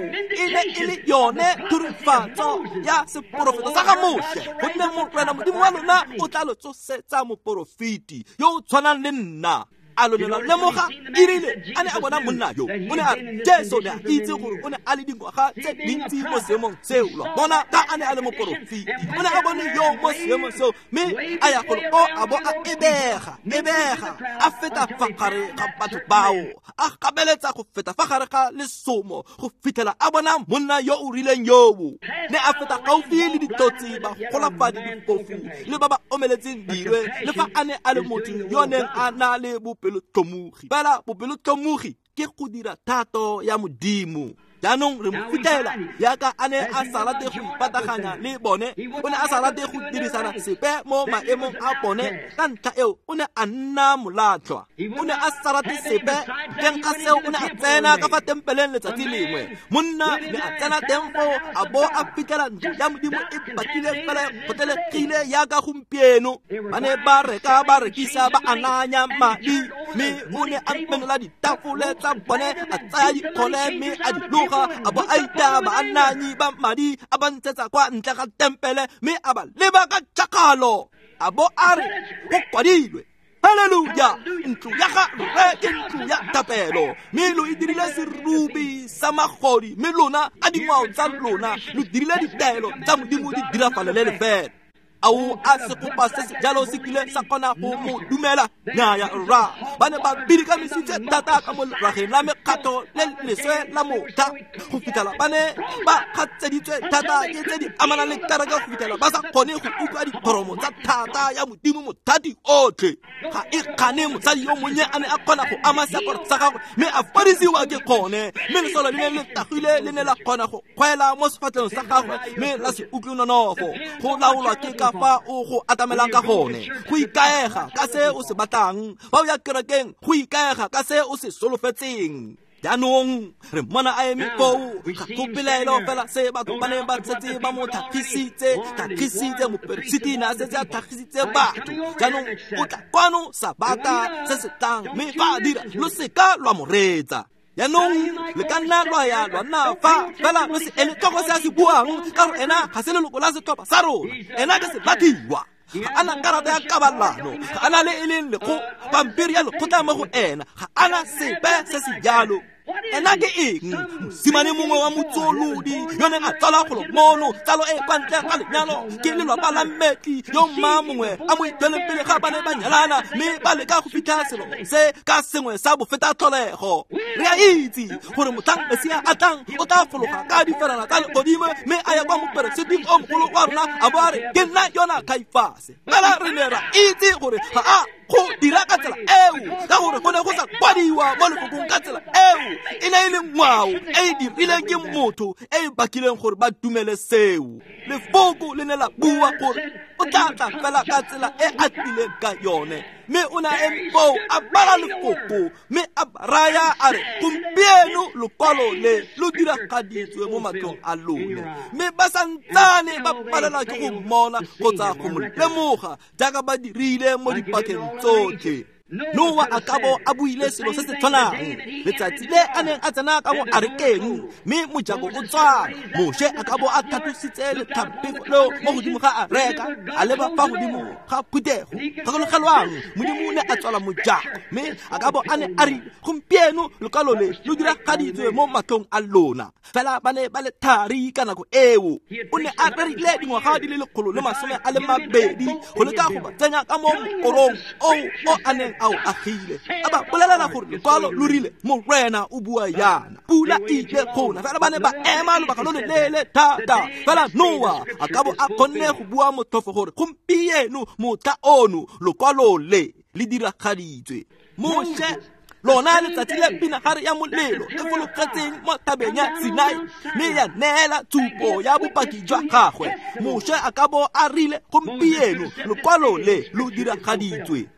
ne e le yone thurifatso ya seporofeto sa ga Moshe, gonne Morena Modimo wa lona o tla lo tsosetsa moporofeti yo o tshwanang le nna. A lo ne la lemoga erile a ne a bona monna yo, o ne a re, Jesu ne a itse gore o ne a le dingwaga tse dintsi mo seemong seo. Lo bona ka a ne a le moporofeti, o ne a bone yo mo seemong seo, mme a ya golo ko a bo a ebega, a feta fa gare ga batho bao, a gabeletsa go feta fa gare ga lesomo go fitlhela a bona monna yo o rileng yoo. Ne a feta gaufi le ditlotsi, bagolafadi, difofu le ba ba omeletseng dirwe, le fa a ne a le motho yo neng a na le bopelotlhomogi. Fela bopelotlhomogi ke go dira thato ya Modimo. Jaanong re mo fitlhela yaka a ne a sa rate go ipataganya le bone, o ne a sa rate go dirisana sepe mo maemong a bone. Ka ntlha eo o ne a nna molatlhwa, o ne a sa rate sepe. Teng ga seo o ne a tsena ka fa tempeleng letsatsi lengwe. Monna ne a tsena teng foo a bo a fitlhela ntlo ya Modimo e batlile fela kgotlelegile yaka gompieno. Ba ne ba reka, ba rekisa, ba ananya madi, mme o ne a menola ditafole tsa bone, a tsaya dikgole mme a di loga, a bo a itaya baananyi ba madi, a ba ntshetsa kwa ntle ga tempele, mme a ba leba ka tšhakgalo. A bo a re, go kwadilwe, Haleluya! Ntlo ya ga rre ke ntlo ya thapelo, mme lo e dirile serubi sa magodi, mme lona ka dingwao tsa lona lo dirile ditaelo tsa Modimo di dirafalele lefela. Ao a segopa se se jalo se kile sa kgona go mo dumela? Nnyaya rra, ba ne ba bidikamisitse thata ka mo lerageng la mekgatho le leswe la motlha go fitlhela ba ne ba kgatseditswe thata ke tse di amanang le kereke go fitlhela ba sa kgone go utlwa dithoromo tsa thata ya Modimo mothati otlhe. Ga e kgane mosadi yo monnye a ne a kgona go ama seaparo sa gagwe mme a fodisiwa ke kgone, mme lesolo le ne le tagile le ne la kgona go kgwela mo sefatlhegong sa gagwe mme la se utlwe nonofo. Go laolwa ke ka fa o go atamelang ka gone, go ikaega ka se o se batlang. Fa o ya kerekeng, go ikaega ka se o se solofetseng. Jaanong re mmona a eme foo, ga go pelaelo fela se batho ba ne ba setse ba mo tlhagisitse, moperesiti ne a setse a tlhagisitse batho. Jaanong o tla kwano sabata se se tlang, mme fa a dira lo seka lwa mo reetsa. Jaanong le ka nna lwa ya lwa nna fa, fela lo se ele tlhoko se a se buang, ka gore ena ga se leloko la setlhopha sa rona, ena ke selathiwa. Ga ana karata ya kabalano, ga ana le e leng lekgo pampiri ya lekgotla mo go ena, ga ana sepe se se jalo. Ena ke eng? Mosimane mongwe wa motsolodi yo neng a tsala golo mono, tsalo e kwa ntle ga lenyalo ke lelapa la mmetli yo mma mongwe a mo itsweleng pele ga ba ne ba nyalana, mme ba leka go fitlha selo se ka sengwe sa bofeta tlholego. Re a itse gore motlhang Mesia a tlang o tla fologa ka diferana tsa legodimo mme a ya kwa moperesiti o mogolo wa rona a bo a re, ke nna yona Kaifase. Fela re ne ra itse gore ga a go dira ka tsela eo, ka gore go ne go sa kwadiwa mo lefokong ka tsela eo. E ne e le ngwao e e dirileng ke motho e e bakileng gore ba dumele seo. Lefoko le ne la bua gore o tla tla fela ka tsela e a tlileng ka yone, mme o ne a eme foo a bala lefoko mme a raya a re, gompieno lokwalo le lo diragaditswe mo matlhong a lone. Mme ba santsane ba palelwa ke go mmona kgotsa go mo lemoga jaaka ba dirile mo dipakeng tsotlhe. Noa a ka bo a buile selo se se tshwanang letsatsi le a neng a tsena ka mo arekeng mme mojako o tswala. Moshe a ka bo a tlhatlositse letlhampego leo mo godimo ga areka, a leba fa godimo ga phuthego. Gakologelwang, Modimo o ne a tswala mojako, mme a ka bo a ne a re, gompieno lokwalo le lo diragaditswe mo matlhong a lona. Fela ba ne ba le thari ka nako eo. O ne a rerile dingwaga di le 120 go leka go ba tsenya ka mo mokorong oo o a neng a o agile. A ba bolelela gore lekwalo lo rile, Morena o bua yana, pula e ile gona. Fela ba ne ba ema lobaka lo loleele thata. Fela Noa a ka bo a kgonne go bua motlhofo gore gompieno motlha ono lokwalo le le diragaditswe. Moshe lona letsatsi le pinagare ya molelo e fologetseng mo thabeng ya Sinai mme ya neela tshupo ya bopaki jwa gagwe. Moshe a ka bo a rile, gompieno lokwalo le lo diragaditswe.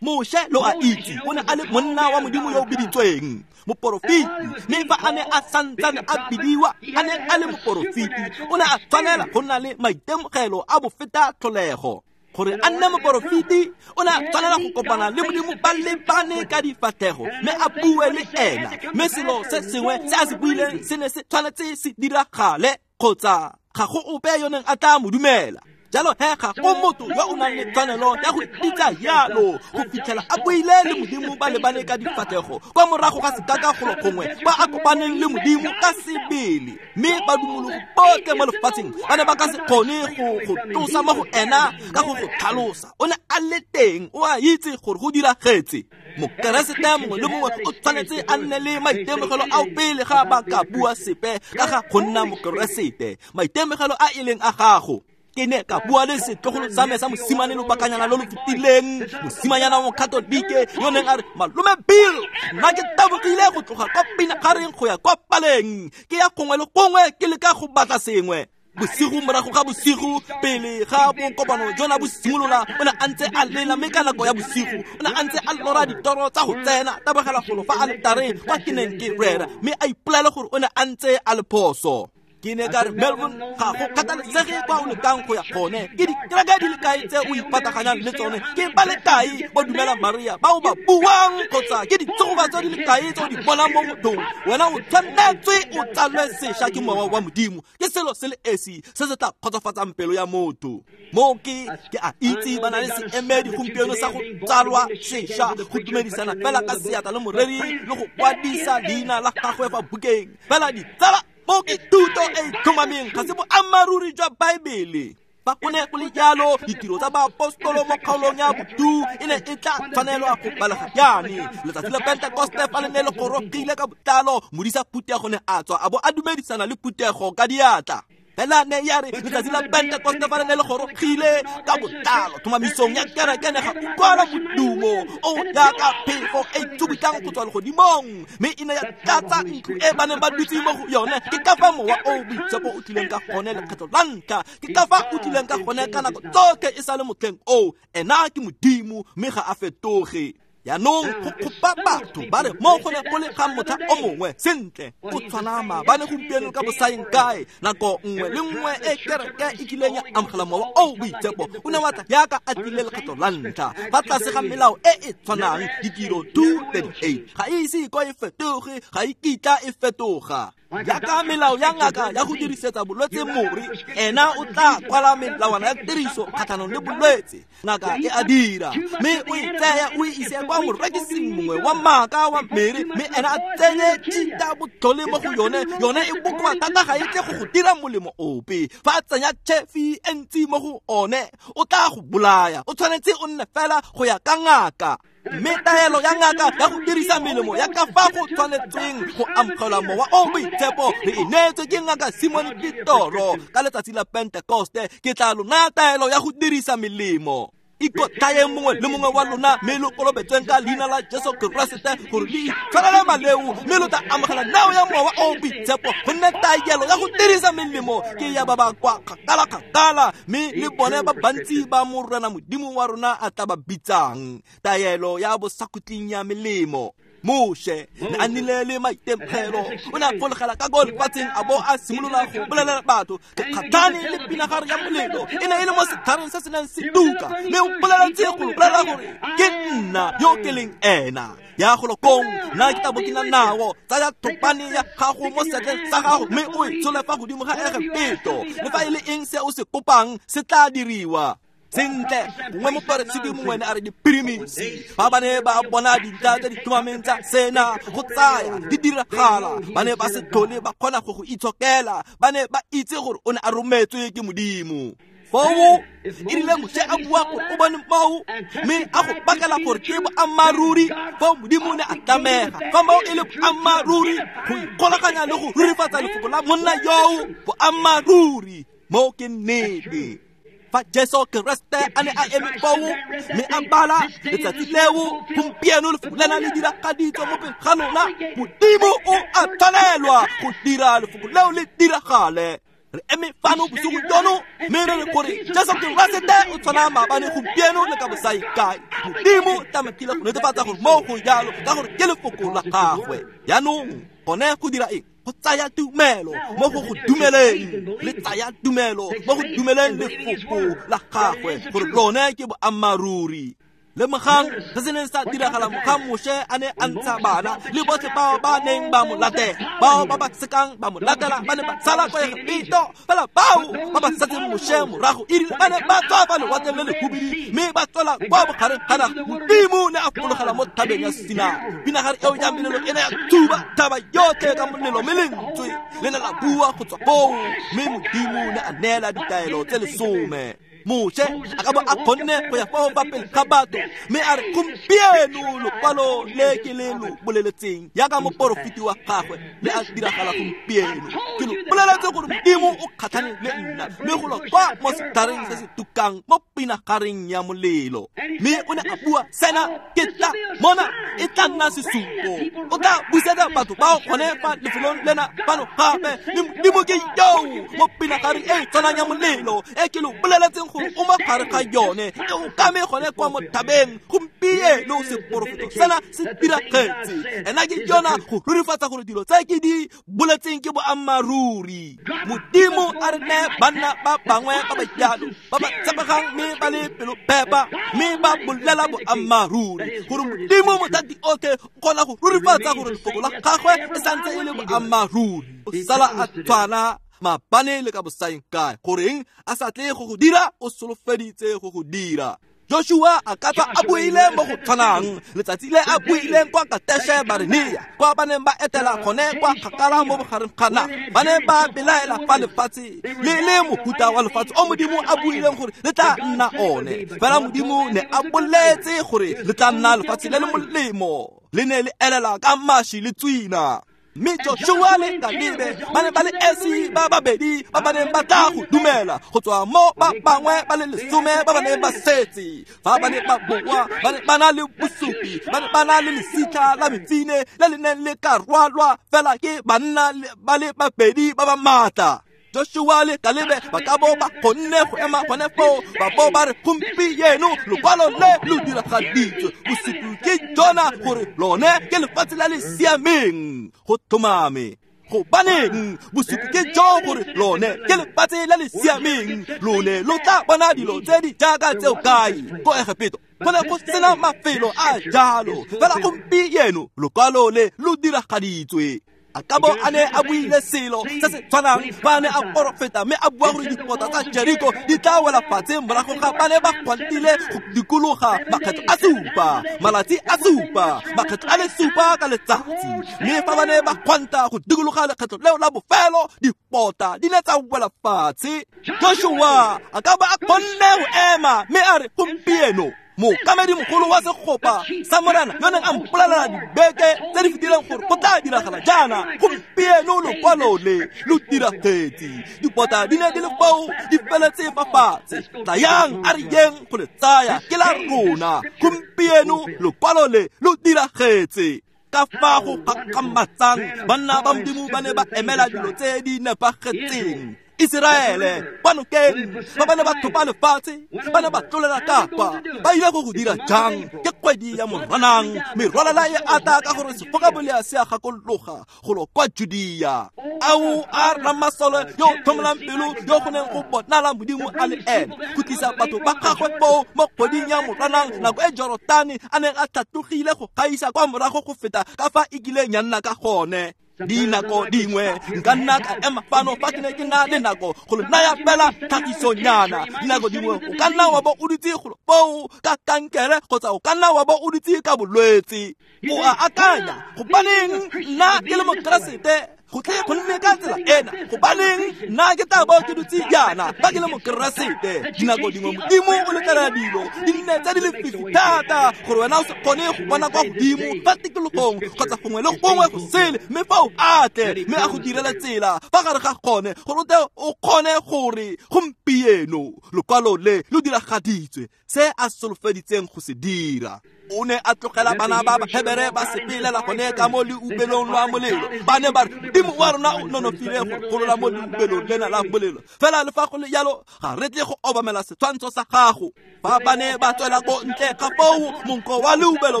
Moshe lo a itse o ne a le monna wa Modimo yo o biditsweng moporofeti, mme fa a ne a santsane a bidiwa a ne a le moporofeti, o ne a tshwanela go nna le maitemogelo a bofeta tlholego. Gore a nne moporofeti, o ne a tshwanela go kopana le Modimo ba lebane ka difatlhego mme a bue le ena, mme selo se sengwe se a se buileng se ne se tshwanetse se diragale kgotsa ga go ope yo neng a tla mo dumela. Jalo he ga go motho yo o nang le tshwanelo ya go ititsa jalo go fitlhela a buile le Modimo ba lebane ka difatlhego kwa morago ga sekaka golo gongwe kwa a kopaneng le Modimo ka sebele. Mme badumologi botlhe mo lefatsheng ba ne ba ka se kgone go go tlosa mo go ena ka go go tlhalosa. O ne a le teng, o a itse gore go diragetse. Mokeresete mongwe le mongwe o tshwanetse a nne le maitemogelo ao pele ga ba ka bua sepe ka ga go nna mokeresete, maitemogelo a e leng a gago. Ke ne ka bua le setlogolo sa me sa mosimane lobakanyana lo lo fetileng, mosimanyana wa mokatolike yo neng a re, malome Bill, nna ke tabogile go tloga kwa pinagareng go ya kwa paleng, ke ya gongwe le gongwe ke leka go batla sengwe. Bosigo morago ga bosigo pele ga bokopano jona bo simolola, o ne a ntse a lela, mme ka nako ya bosigo o ne a ntse a lora ditoro tsa go tsena tabogela golo fa aletareng kwa ke neng ke rera, mme a ipolela gore o ne a ntse a le phoso. Ke ne ka re, Melvin, ga go kgathalesege kwa o lekang go ya gone, ke dikereke di le kae tse o ipataganyang le tsone, ke ba le kae ba dumela Maria ba o ba buang, kgotsa ke ditsogobatso di le kae tse o di bonang mo mothong, wena o tshwanetswe o tsalwe sešwa ke mowa wa Modimo. Ke selo se le esi se se tla kgotsofatsang pelo ya motho. Mo ke a itse ba na le seemedi gompieno sa go tsalwa sešwa, go dumedisana fela ka seatla le moreri le go kwadisa leina la gagwe fa bukeng. Fela ditsala, mo ke thuto e tlhomameng, ga se boammaaruri jwa Baebele. Fa go ne go le jalo, ditiro tsa baapostolo mo kgaolong ya botu e ne e tla tshwanelwa go balega jaane. Letsatsi la Pentekoste fa le ne le gorogile ka botlalo, modisa phuthego ne a tswa a bo a dumedisana le phuthego ka diatla. Fela ne ya re letsatsi la Pentekoste fa le ne le gorogile ka botlalo, tlhomamisong ya kereke ne ga utlwala modumo o jaaka phefo e tsubutlang go tswa legodimong, mme e ne ya tlatsa ntlo e ba neng ba dutse mo go yone. Ke ka fa mowa o boitshepo o tlileng ka gone lekgetlo la ntlha, ke ka fa o tlileng ka gone ka nako tsotlhe e sa le motlheng oo. Ena ke Modimo mme ga a fetoge. Jaanong go kgopa batho ba re mo go ne go le ga motlha o mongwe, sentle o tshwana maabane gompieno ka bosaeng kae. Nako nngwe le nngwe e kereke e kileng ya amogela mowa o boitshepo, o ne wa tla jaaka a tlile lekgetlo la ntlha, fa tlase ga melao e e tshwanang, ditiro 2:38. Ga e ise ko e fetoge, ga e kitla e fetoga. Jaaka melao ya ngaka ya go dirisetsa bolwetse more, ena o tla kwala melawana ya tiriso kgatlhanong le bolwetse. Ngaka e a dira, mme o e tsaya o e ise kwa morekising mongwe wa maaka wa mere, mme ena a tsenye tšhita botlhole mo go yone. Yone e bokoa thata, ga e tle go go dira molemo ope. Fa a tsenya tšhefi e ntsi mo go one, o tla go bolaya. O tshwanetse o nne fela go ya ka ngaka. Mme taelo ya ngaka ya go dirisa melemo ya ka fa go tshwanetsweng go amogela mowa o boitshepo re e neetswe ke ngaka Simon Petoro ka letsatsi la Pentekoste. Ke tla lo naya taelo ya go dirisa melemo. Ikotlayeng mongwe le mongwe wa lona, mme lo kolobetsweng ka leina la Jesu Keresete gore le itshwarele maleo, mme lo tla amogela neo ya mowa o boitshepo. Gonne taelo ya go dirisa melemo ke ya ba ba kwa kgakala-kgakala, mme le bone ba bantsi ba Morena Modimo wa rona a tla ba bitsang. Taelo ya bosakhutleng ya melemo. Moshe ne a nnile le maitemogelo, o ne a fologela ka ko lefatsheng a bo a simolola go bolelela batho. Ke kgatlhane le pinagare ya molelo, e ne e le mo setlhareng se se neng se tuka, mme o boleletse go bolela gore ke nna yo ke leng ena. Ya golo kong, nna ke tla bo ke na nao. Tsaya thopane ya gago mo seatleng sa gago, mme o e tshole fa godimo ga Egepeto. Le fa e le eng se o se kopang se tla diriwa. Sentle, gongwe moperesiti mongwe ne a re dipirimisi, ba ba ne ba bona dintlha tse di tlhomameng tsa sena go tsaya di diragala, ba ne ba se tlhole ba kgona go go itshokela, ba ne ba itse gore o ne a rometswe ke Modimo. Foo e rile Moshe a bua gore o bone moo, mme a go pakela gore ke boammaaruri. Foo Modimo ne a tlamega, fa moo e le boammaaruri, go ikgolaganya le go rurifatsa lefoko la monna yoo boammaaruri. Moo ke nnete. Fa Jesu Keresete a ne a eme foo, mme a bala letsatsi leo, gompieno lefoko lena le diragaditswe mo pele ga lona. Modimo o a tshwanelwa go dira lefoko leo le diragale. Re eme fano bosigo jono, mme re re gore Jesu Keresete o tshwana maabane, gompieno le ka bosaikae. Modimo tlamehile go netefatsa gore mo go jalo, ka gore ke lefoko la gagwe. Jaanong gone go dira eng? Go tsaya tumelo mo go go dumeleng, le tsaya tumelo mo go dumeleng lefoko la gagwe gore lone ke boammaaruri. Lemogang se se neng sa diragala mogang Moshe a ne a ntsha bana le botlhe bao ba neng ba mo latela. Bao ba ba sekang ba mo latela ba ne ba sala kwa Egepeto, fela bao ba ba setseng Moshe morago e rile ba ne ba tswa fa lewatleng le lehubidu, mme ba tswela kwa bogareng ga naga. Modimo ne a fologela mo thabeng ya Sinai. Pinagare eo ya melelo e ne ya thuba thaba yotlhe ka molelo, mme lentswe le ne la bua go tswa foo, mme Modimo ne a neela ditaelo tse 10. Moshe a ka bo a kgonne go ya fao fa pele ga batho, mme a re gompieno lokwalo le ke le lo boleletseng jaaka moporofeti wa gagwe le a diragala gompieno. Ke lo boleletse gore Modimo o kgatlhane le nna, mme go lo kwa mo setlhareng se se tukang mo pinagareng ya molelo. Mme o ne a bua sena, ke tla mona e tla nna sesupo. O tla busetsa batho bao gone fa lefelong lena fano gape, mme Modimo ke yoo mo pinagareng e tshwanang ya molelo e ke lo boleletseng gore o mo gare ga yone e o kame gone kwa mo thabeng gompieno seporofeto sena se diragetse. Ena ke yona go rurifatsa gore dilo tse ke di boletseng ke boammaaruri. Modimo a re neye banna ba bangwe ba ba jalo ba ba tshepegang mme ba le pelophepa mme ba bolela boammaaruri gore Modimo mothati otlhe o kgona go rurifatsa gore lefoko la gagwe e santse e le boammaaruri. O sala a tshwana maabane le ka bosaeng kae. Goreng a sa tle go go dira, o solofeditse go go dira. Joshua a ka tswa a buile mo go tshwanang letsatsi le a buileng kwa Kateshe Barnea, kwa ba neng ba etela gone kwa kgakala mo bogareng ga naga. Ba ne ba belaela fa lefatshe le le mohuta wa lefatshe o Modimo a buileng gore le tla nna one. Fela Modimo ne a boletse gore le tla nna lefatshe le le molemo, le ne le elela ka maši le tswina. Mme Joshua le Kalebe ba ne ba le esi ba babedi ba ba neng ba tla go dumela go tswa mo ba bangwe ba le 10 ba ba neng ba setse. Fa ba ne ba boa ba ne ba na le bosupi, ba ne ba na le lesitlha la mefine le le neng le ka rwalwa fela ke banna ba le babedi ba ba maatla. Joshua le Kalebe ba ka bo ba kgonne go ema gone foo ba bo ba re gompieno lokwalo le lo diragaditswe, bosupi ke jona gore lone ke lefatshe la le siameng. Go tlhomame. Gobaneng bosupi ke jo gore lone ke lefatshe la le siameng, lone lo tla bona dilo tse di jaaka tseo kae ko Egepeto go ne go sena mafelo a jalo. Fela gompieno lokwalo le lo diragaditswe. A ka bo a ne a buile selo se se tshwanang fa a ne a porofeta mme a bua gore dipota tsa Jeriko di tla wela fatshe morago ga ba ne ba gwantile go dikologa makgetho a supa, malatsi a supa, makgetho a le supa ka letsatsi. Mme fa ba ne ba gwanta go dikologa lekgetho leo la bofelo, dipota di ne tsa wela fatshe. Joshua a ka ba a kgonne go ema mme a re gompieno mookamedi mogolo wa segopa sa Morena yo neng a mpolelela dibeke tse di fetileng gore go tla diragala jaana, gompieno lokwalo le lo diragetse. Dipota di ne di le foo di feletse fa fatshe. Tlayang a re yeng go le tsaya, ke la rona. Gompieno lokwalo le lo diragetse. Ka fa go gakgamatsang banna ba Modimo ba ne ba emela dilo tse di nepagetseng. Iseraele ba nokeng ba ba ne ba thopa lefatshe, ba ne ba tlolela kapa. Ba ile go go dira jang? Ke kgwedi ya Moranang, merwalela e ata ka gore sefokabolea se a gakologa golo kwa Judea. Ao a ramasole yo tlhomolang pelo yo go neng go bonala Modimo a le ene go tlisa batho ba gagwe foo mo kgweding ya Moranang, nako e Jorotane a neng a tlhatlogile go gaisa kwa morago go feta ka fa e kileng ya nna ka gone. Dinako dingwe nka nna ka ema fano fa ke ne ke na le nako go le naya fela tlhagisonyana. Dinako dingwe o ka nna wa bo o dutse golo foo ka kankere kgotsa o ka nna wa bo o dutse ka bolwetse. O a akanya, gobaneng nna ke le Mokeresete go tle go nne ka tsela ena? Gobaneng nna ke tla bo ke dutse jaana fa ke le Mokeresete? Dinako dingwe Modimo o letlelela dilo di nne tse di lefifi thata gore wena o se kgone go bona kwa godimo fa tikologong kgotsa gongwe le gongwe go sele, mme fa o atle mme a go direla tsela fa gare ga gone gore o tle o kgone gore gompieno lokwalo le lo diragaditswe se a solofeditseng go se dira. O ne a tlogela bana ba Bahebere ba sepelela gone ka mo leubelong lwa molelo. Ba ne ba re Modimo wa rona o nonofile go golola mo leubelong lena la molelo, fela le fa go le jalo ga re tle go obamela setshwantsho sa gago. Fa ba ne ba tswela ko ntle ga foo, monko wa leubelo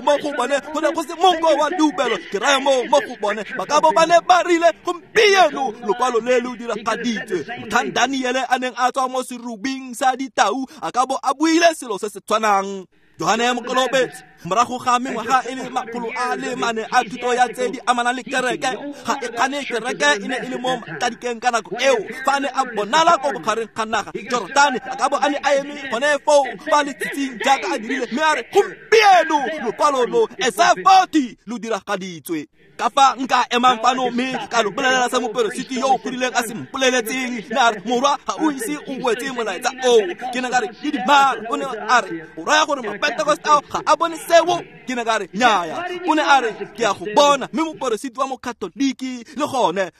mo go bone go ne go se monko wa leubelo, ke raya moo mo go bone ba ka bo ba ne ba rile gompieno lokwalo le lo diragaditswe. Motlhang Daniele a neng a tswa mo serubing sa ditau a ka bo a buile selo se se tshwanang. Johane Mokolobetsi morago ga mengwaga e le 400 a thuto ya tse di amanang le kereke, ga e kgane kereke e ne e le mo matladikeng ka nako eo. Fa a ne a bonala ko bogareng ga naga Jorotane, a ka bo a ne a eme gone foo fa letsatsing jaaka a dirile, mme a re gompieno lokwalo lo Esaya 40 lo diragaditswe. Ka fa nka emang fano mme ka lo bolelela se moperesiti yo o godileng a se mpoleletseng, ne a re morwa ga o ise o wetse molaetsa oo. Ke ne ka re didimala. O ne a re o raya gore Mapentekoste ao ga a bone seo? Ke ne ka re nnyaya. O ne a re ke a go bona, mme moperesiti wa Mokatoliki le gone.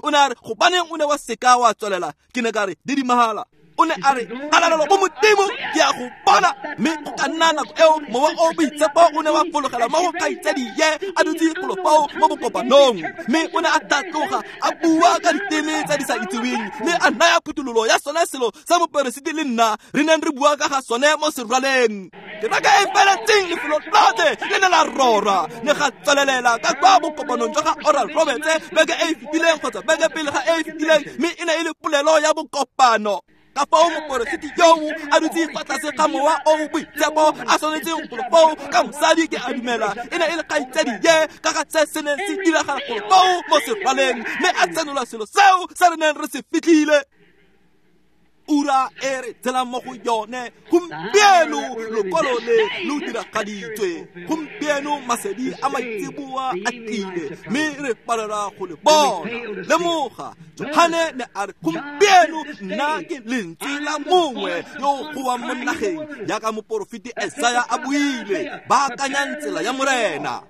O ne a re gobaneng o ne wa seka wa tswelela? Ke ne ka re didimala. O ne a re kgalalelo go Modimo, ke a go bona. Mme go ka nna nako eo mowa o boitshepo o ne wa fologela mo go kgaitsadie a dutse golo foo mo bokopanong, mme o ne a tlhatloga a bua ka diteme tse di sa itseweng, mme a naya phuthololo ya sone selo sa moperesiti le nna re neng re bua ka ga sone mo serwaleng. Kereke e feletseng lefelo lotlhe le ne la rora, ne ga tswelelela ka kwa bokopanong jwa ga Oral Roberts beke e e fetileng kgotsa beke pele ga e e fetileng, mme e ne e le polelo ya bokopano. Ka fao moperesiti yoo a dutse fa tlase ga mowa o o boitshepo a tshwanetseng golo foo ka mosadi, ke a dumela e ne e le kgaitsadi ye, ka ga se se neng se diragala golo foo mo serwaleng, mme a tsenola selo seo se re neng re se fitlhile. Ura e re tshelang mo go yone gompieno, lokwalo le lo diragaditswe gompieno, masedi a maitseboa a tlile, mme re palelwa go le bona. Lemoga, Johane ne a re gompieno nna ke lentswe la mongwe yo o goang mo nageng, jaaka moporofeti Esaya a buile, baakanyang tsela ya Morena.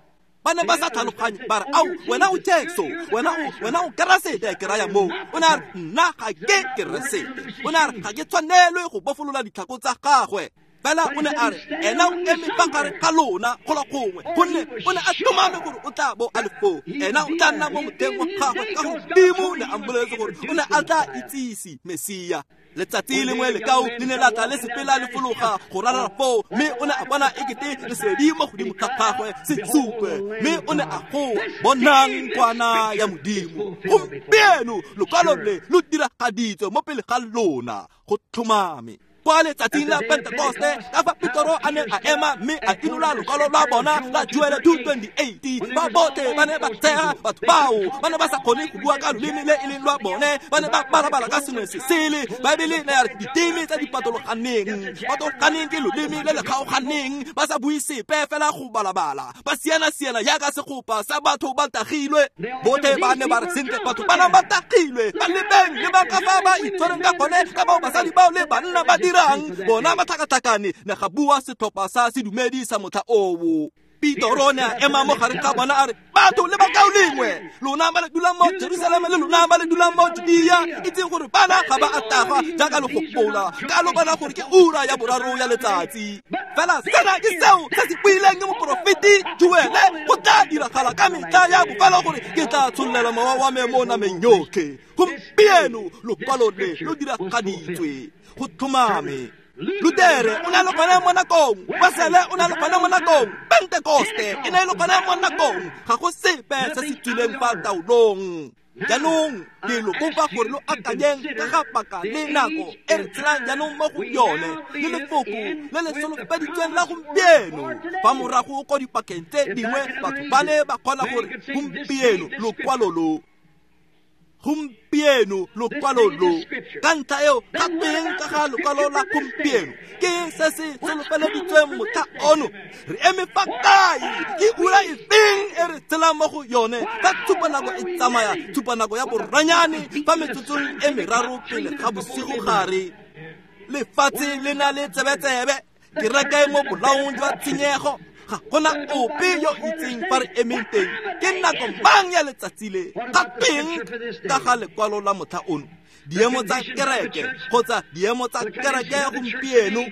Ba ne ba sa tlhaloganye, ba re ao wena o Jesu, wena o Keresete, ke raya moo. O ne a re nna ga ke Keresete. O ne a re ga ke tshwanelwe go bofolola ditlhako tsa gagwe. Fela o ne a re ena o eme fa gare ga lona golo gongwe, gonne o ne a tlhomame gore o tla bo a le foo. Ena o tla nna mo motheng wa gagwe, ka gore Modimo ne a mmoleletse gore o ne a tla itsise Mesia. Letsatsi lengwe lekau le ne la tla le sepela le fologa go ralala foo, mme o ne a bona ekete lesedi mo godimo ga gagwe sesupe, mme o ne a goa, bonang kwana ya Modimo. Gompieno lokwalo le lo diragaditswe mo pele ga lona, go tlhomame. Kwa letsatsing la Pentekoste, ka fa Petoro a ne a ema mme a inola lokwalo lwa bona la Joele 2:28, ba botlhe ba ne ba tshega batho bao, ba ne ba sa kgone go bua ka loleme le e leng lwa bone, ba ne ba balabala ka sengwe se sele. Baebele ne ya re diteme tse di patologaneng, patologaneng ke loleme le le kgaoganeng, ba sa bue sepe fela go balabala, ba siana-siana jaaka segopa sa batho ba tagilwe. Botlhe ba ne ba re sentle, batho ba nang ba tagilwe, ba lebeng le ba ka fa ba itshwereng ka gone, ka bao basadi bao le banna ba dirang bona ba tlhakatlhakane, ne ga bua setlhopha sa sedumedi sa motlha oo. Petoro ne a ema mo gare ga bona a re, batho le bakaulengwe, lona ba le dulang mo Jerusalema le lona ba le dulang mo Judea, itseng gore bana ga ba a tagwa jaaka le gopola, ka lo bona gore ke ura ya boraro ya letsatsi. Fela sena ke seo se se buileng ke moporofeti Joele, go tla diragala ka metlha ya bofelo gore ke tla tshollela mowa wa me mo nameng yotlhe. Gompieno lokwalo le lo diragaditswe, go tlhomame. Lutere o ne a le gone mo nakong, Wesele o ne a le gone mo nakong, Pentekoste e ne e le gone mo nakong, ga go sepe se se tswileng fa taolong. Jaanong ke lo kopa gore lo akanyeng ka ga paka le nako e re tshelang jaanong mo go yone, le lefoko le le solofeditsweng la gompieno. Fa morago ko dipakeng tse dingwe batho ba ne ba kgona gore gompieno lokwalo lo, gompieno lokwalo lo, ka ntlha eo ga tweng ka ga lokwalo la gompieno? Ke se se solofeleditsweng motlha ono. Re eme fa kae? Ke ura efeng e re tshelang mo go yone? Fa tshupanako e tsamaya, tshupanako ya boranyane, fa metsotsong e meraro pele ga bosigo gare, lefatshe le na le tsebetsebe, kereke mo bolaong jwa tshenyego, ga gona ope yo itseng fa re emeng teng. Ke nako mang ya letsatsi le? Ga tweng ka ga lekwalo la motlha ono? Diemo tsa kereke kgotsa diemo tsa kereke gompieno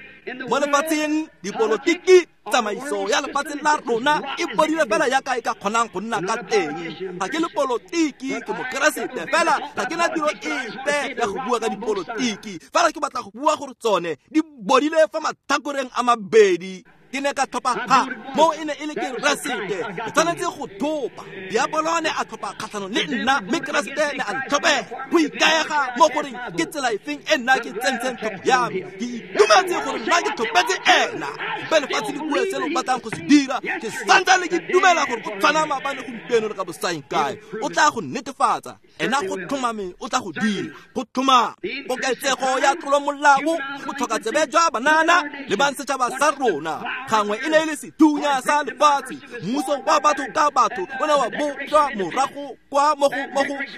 mo lefatsheng, dipolotiki, tsamaiso ya lefatshe la rona e bodile fela jaaka e ka kgonang go nna ka teng. Ga ke le polotiki, ke mokeresete fela, ga ke na tiro epe ya go bua ka dipolotiki, fela ke batla go bua gore tsone di bodile fa matlhakoreng a mabedi. Ke ne ka tlhopha ga moo e ne e le Keresete, ke tshwanetse go thopa. Diabolo ne a tlhopha kgatlhanong le nna, mme Keresete ne a ntlhopela. Go ikaega mo goreng ke tsela efeng e nna ke tsentseng tlhopho ya me. Ke itumetse gore nna ke tlhopetse ena. Mpe lefatshe le bue se lo batlang go se dira, ke santsane ke dumela gore go tshwana maabane gompieno le ka bosaeng kae. O tla go netefatsa, ena go tlhomame o tla go dira, go tlhomame. Koketsego ya tlolomolao, go tlhoka tsebe jwa banana le bang setšhaba sa rona, Gangwe e ne e le sethunya sa lefatshe, mmuso wa batho ka batho o ne wa bopjwa morago kwa mogo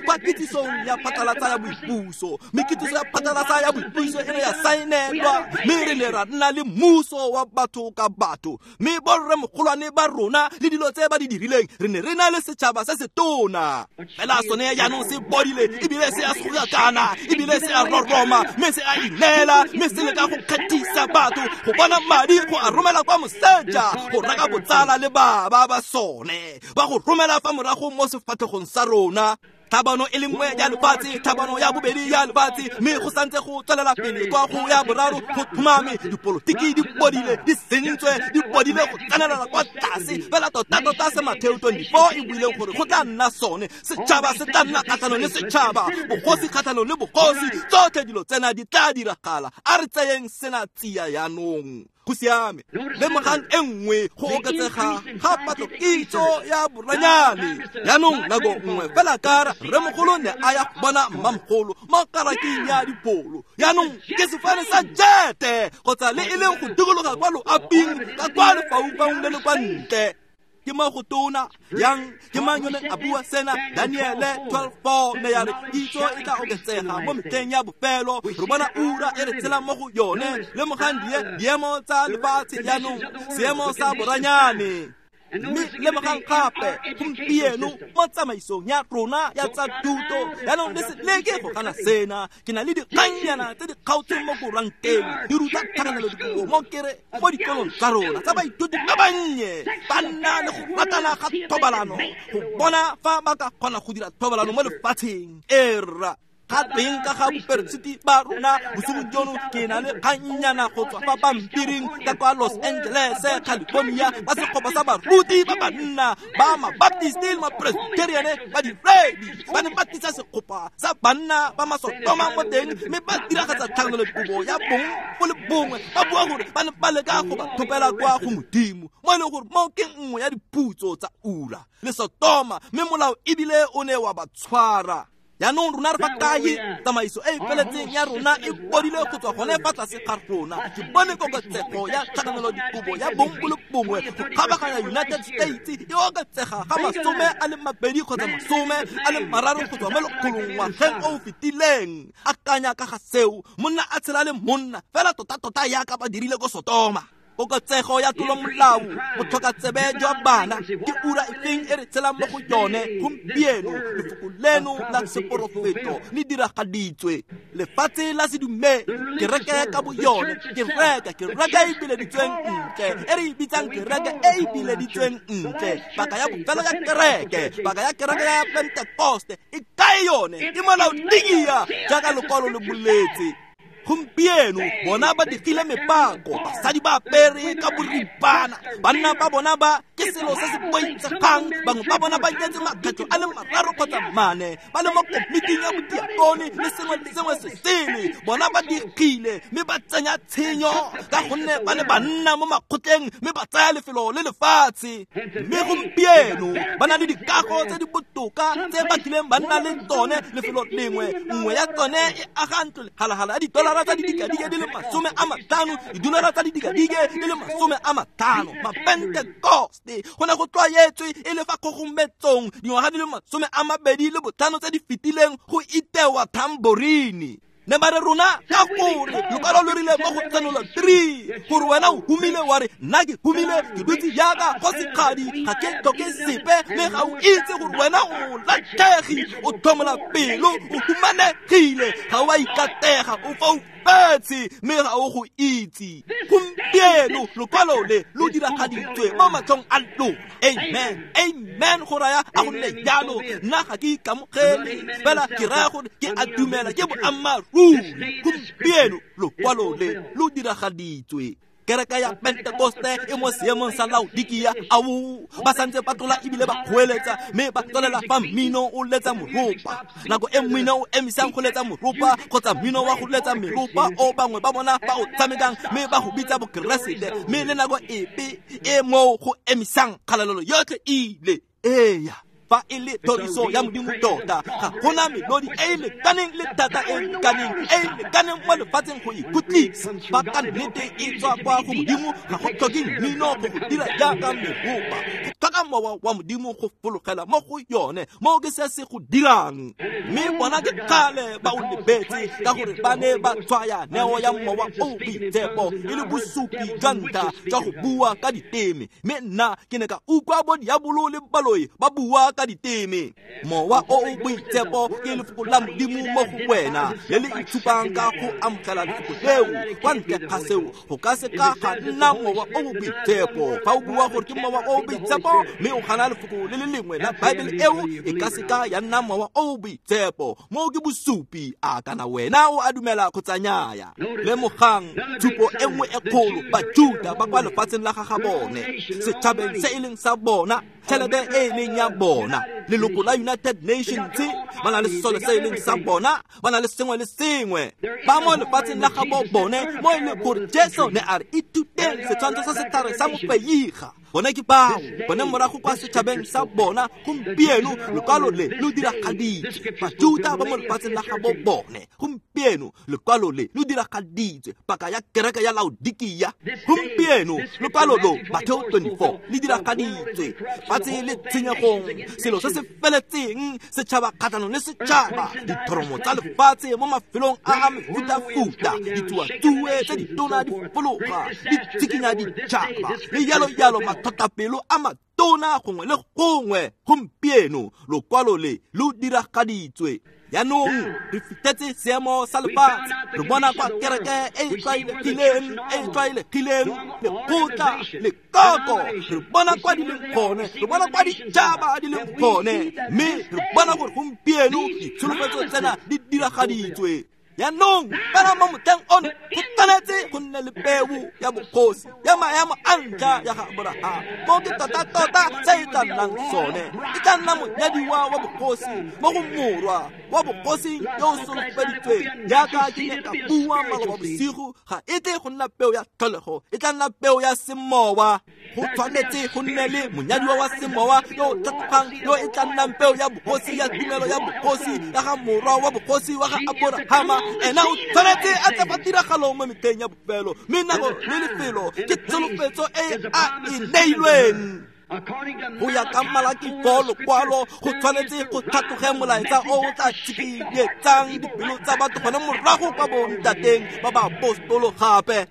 kwa kitsisong ya phatlalatsa ya boipuso. Mme kitsiso ya phatlalatsa ya boipuso e ne ya saenelwa, mme re ne ra nna le mmuso wa batho ka batho. Mme borremogolwane ba rona le dilo tse ba di dirileng, re ne re na le setšhaba se se tona. Fela sone jaanong se bodile, ebile se a sogakana, ebile se a roroma, mme se a ineela, mme se leka go kgethisa batho go bona madi go a romela kwa moseja go reka botsala le baba ba sone, ba go romela fa morago mo sefatlhegong sa rona. Tlhabano e le nngwe ya lefatshe, tlhabano ya bobedi ya lefatshe, mme go santse go tswelela pele kwa go ya boraro go tlhomame. Dipolotiki di bodile, di sentswe, di bodile go tsenelela kwa tlase. Fela tota-tota se Mateo 24 e buileng gore go tla nna sone, setšhaba se tla nna kgatlhanong le setšhaba, bogosi kgatlhanong le bogosi, tsotlhe dilo tsena di tla diragala. A re tseyeng sena tsia jaanong. Go siame. Lemogang e nngwe go oketsega ga patlokitso ya boranyane. Jaanong nako nngwe fela ka rremogolo ne a ya go bona mmamogolo mo karaking ya dipholo. Jaanong ke sefane sa jete kgotsa le e leng go dikologa kwa loaping ka kwa lefaufaung le le kwa ntle. Ke mo go tona yang ke mang yo neng a bua sena? Daniele 12:4 ne ya re kitso e tla oketsega mo metlheng ya bofelo. Re bona ura e re tshelang mo go yone. Lemogang diemo tsa lefatshe jaanong, seemo sa boranyane. Mme lemogang gape gompieno mo tsamaisong ya rona ya tsa thuto. Jaanong le se leke go gana sena. Ke na le dikgannyana tse di kgaotsweng mo koranteng di ruta tlhakanelo dikobo mo kere mo dikolong tsa rona tsa baithuti ba bannye ba nna le go ratana ga thobalano go bona fa ba ka kgona go dira thobalano mo lefatsheng. Erra ga teng ka ga boperesiti ba rona bosigo jono, ke na le kgannyana go tswa fa pampiring ka kwa Los Angeles, California, ba setlhopha sa baruti ba banna ba Mabaptist le Mapresbyterian ba diredi ba ne ba tlisa setlhopha sa banna ba masotoma mo teng, mme ba diragatsa tlhakanelo dikobo ya bong bo le bongwe, ba bua gore ba ne ba leka go ba thopela kwa go Modimo, mo e leng gore mo ke nngwe ya diphutso tsa ura le Sotoma, mme molao ebile o ne wa ba tshwara. Jaanong rona re fa kae? Tsamaiso e e feletseng ya rona e bodile go tswa gone fa tlase ga rona. Ke bone koketsego ya tlhakanelo dikobo ya bong bo le bongwe go kgabaganya United States e oketsega ga 20 kgotsa 23 go tswa mo lekgolong ngwageng o o fetileng. Akanya ka ga seo, monna a tshela le monna fela tota-tota yaka ba dirile ko Sotoma. Koketsego ya tlolomolao, botlhokatsebe jwa bana, ke ura efeng e re tshelang mo go yone gompieno? Lefoko leno la seporofeto le diragaditswe. Lefatshe la sedumedi, kereke ka bo yone, kereke e bileditsweng ntle, e re e bitsang kereke e e bileditsweng ntle, paka ya bofelo ya kereke, paka ya kereke ya Pentekoste e kae yone? Ke mo Laodikia jaaka lekwalo le boletse. Gompieno bona ba digile mepako, basadi ba apere ka boripana, banna ba bona ba ke selo se se boitshegang, bangwe ba bona ba nyetse makgetho a le 3 kgotsa 4, ba le mo komiting ya bodiakone le sengwe le sengwe se sele. Bona ba digile mme ba tsenya tshenyo ka gonne ba le banna mo makgotleng, mme ba tsaya lefelo le lefatshe. Mme gompieno ba na le dikago tse di botoka tse ba kileng ba nna le tsone lefelo lengwe. Nngwe ya tsone e aga ntlo lehalagala ya didolara tsa didikadike di le 50, didolara tsa didikadike di le 50. Mapentekoste go ne go tlwaetswe e le fa kgogometsong dingwaga di le 25 tse di fetileng go itewa tamborini. Ne ba re rona ka gore lokwalo lo rile mo go Tshenolo 3 gore wena o humile, wa re nna ke humile, ke dutse jaaka kgosigadi, ga ke tlhoke sepe, mme ga o itse gore wena o latlhegi, o tlhomola pelo, o humanegile, ga o a ikatega, o foufetse, mme ga o go itse. Gompieno lokwalo le lo diragaditswe mo matlhong a lona. Amen, amen. Go raya a go nne jalo. Nna ga ke ikamogele, fela ke raya gore ke a dumela, ke boammaaruri. Gompieno lokwalo le lo diragaditswe. Kereke ya Pentekoste e mo seemong sa Laodikia. Ao, ba santse ba tlola ebile ba kgoeletsa, mme ba tswelela fa mmino o letsa moropa. Nako e mmino o emisang go letsa moropa kgotsa mmino wa go letsa meropa o bangwe ba bona ba o tshamekang, mme ba go bitsa bokeresete, mme le nako epe e moo go emisang kgalalelo yotlhe ile. Eya. Fa e le thoriso ya Modimo tota, ga gona melodi e e lekaneng le thata e lekaneng e e lekaneng mo lefatsheng go ikutlisa. Fa ka nnete e tswa kwa go Modimo, ga go tlhoke mmino go go dira jaaka meropa. Go tlhoka mowa wa Modimo go fologela mo go yone, mo ke se se go dirang. Mme bona ke kgale ba o lebetse ka gore ba ne ba tshwaya neo ya mowa o boitshepo e le bosupi jwa ntlha jwa go bua ka diteme. Mme nna ke ne ka utlwa bo diabolo le baloi ba bua ka diteme. Mowa o o boitshepo ke lefoko la Modimo mo go wena le le itshupang ka go amogela lefoko leo. Kwa ntle ga seo go ka se ka ga nna mowa o o boitshepo. Fa o bua gore ke mowa o o boitshepo mme o gana lefoko le le lengwe la Baebele eo, e ka se ka ya nna mowa o o boitshepo. Moo ke bosupi, a kana wena o a dumela kgotsa nnyaya. Lemogang tshupo e nngwe e kgolo, Bajuda ba kwa lefatsheng la ga bone, setšhabeng se e leng sa bona, tšhelete e e leng ya bona, leloko la United Nations, ba na le sesole se e leng sa bona, ba na le sengwe le sengwe. Ba mo lefatsheng la gabo bone, mo e leng gore Jesu ne a re ithuteng setshwantsho sa setlhare sa mofeiga. Bone ke bao, bone morago kwa setšhabeng sa bona. Gompieno lekwalo le lo diragaditswe. Bajuda ba mo lefatsheng la gabo bone. Gompieno lekwalo le lo diragaditswe. Paka ya kereke ya Laodikia. Gompieno lekwalo lo, Mateo 24, le diragaditswe. Fatshe le tshenyegong, selo se se feletseng, setšhaba kgatlhanong le setšhaba, dithoromo tsa lefatshe mo mafelong a a mefutafuta, ditsuatsue tse ditona di fologa, di tshikinya ditšhaba, le jalo-jalo mathotapelo a matona gongwe le gongwe. Gompieno lokwalo le lo diragaditswe. Jaanong re fitlhetse seemo sa lefatshe, re bona kwa kereke e e tlwaelegileng, e tlwaelegileng, lekgotla, lekoko, re bona kwa di leng gone, re bona kwa ditšhaba di leng gone, mme re bona gore gompieno ditsholofetso tsena di diragaditswe. Jaanong fela mo motlheng ono go tshwanetse go nne le peo ya bogosi ya maemo a ntlha ya ga Aborahama. Mo ke tota-tota se e tla nnang sone, e tla nna monyadiwa wa bogosi mo go morwa wa bogosi yo o solofeditsweng. Jaaka ke ne ka bua maloba bosigo, ga e tle go nna peo ya tlholego, e tla nna peo ya semowa. Go tshwanetse go nne le monyadiwa wa semowa yo o tlhatlogang, yo e tla nnang peo ya bogosi ya tumelo ya bogosi ya ga morwa wa bogosi wa ga Aborahama. Ena o tshwanetse a tla fa tiragalong mo metlheng ya bofelo, mme nako le lefelo ke tsholofetso e a e neilweng. Go ya ka Malaki 4 lokwalo, go tshwanetse go tlhatloge molaetsa o o tla tshikinyetsang dipelo tsa batho gone morago kwa bontateng ba baapostolo gape.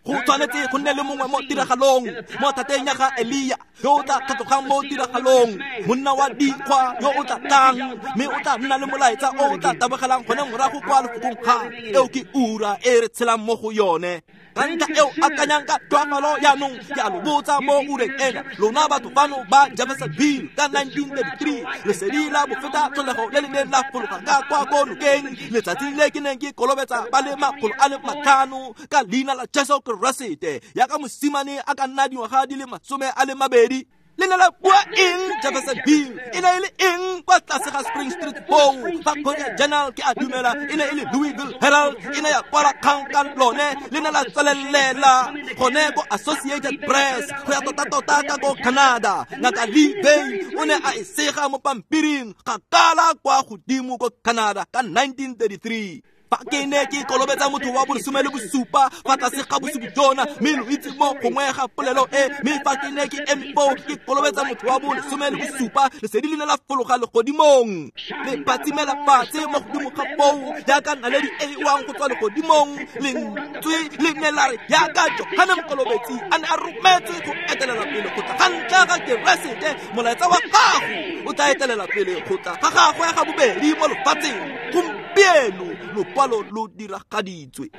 Go tshwanetse go nne le mongwe mo tiragalong, mo thateng ya ga Elia, yo o tla tlhatlogang mo tiragalong, monna wa dikgwa yo o tla tlang, mme o tla nna le molaetsa o o tla tabogelang gone morago kwa lefokong ga eo ke ura e re tshelang mo go yone. Ka ntlha eo akanyang ka tlhoafalo jaanong, ke a lo botsa mo ureng ena, lona batho fano ba Jeffersonville ka 1933, lesedi la bofeta tlholego le le neng la fologa ka kwa ko nokeng letsatsi le ke neng ke kolobetsa ba le 500 ka leina la Jesu Keresete, yaka mosimane a ka nna dingwaga di le 22. Le ne la bua eng Jeffersonville? E ne e le eng kwa tlase ga Spring Street foo? Fa Courier Journal ke a dumela e ne e le Louisville Herald, e ne ya kwala kgang ka lone, le ne la tswelelela gone ko Associated Press go ya tota-tota ka ko Canada. Ngaka Lee Bay o ne a e sega mo pampiring ga kala kwa godimo ko Canada ka 1933. Fa ke ne ke kolobetsa motho wa bo 17 fa tlase ga bosupi jona, mme lo itse mo gongwe ga polelo e, mme fa ke ne ke eme foo ke kolobetsa motho wa bo 17, lesedi le ne la fologa legodimong, le phatsimela fatshe mo godimo ga foo jaaka naledi e e wang go tswa legodimong. Lentswe le ne la re jaaka Johane Mokolobetsi a ne a rometswe go etelela pele go tla ga ntlha ga Keresete, molaetsa wa gago o tla etelela pele go tla ga gagwe ga bobedi mo lefatsheng. Gompieno lokwalo lo diragaditswe. This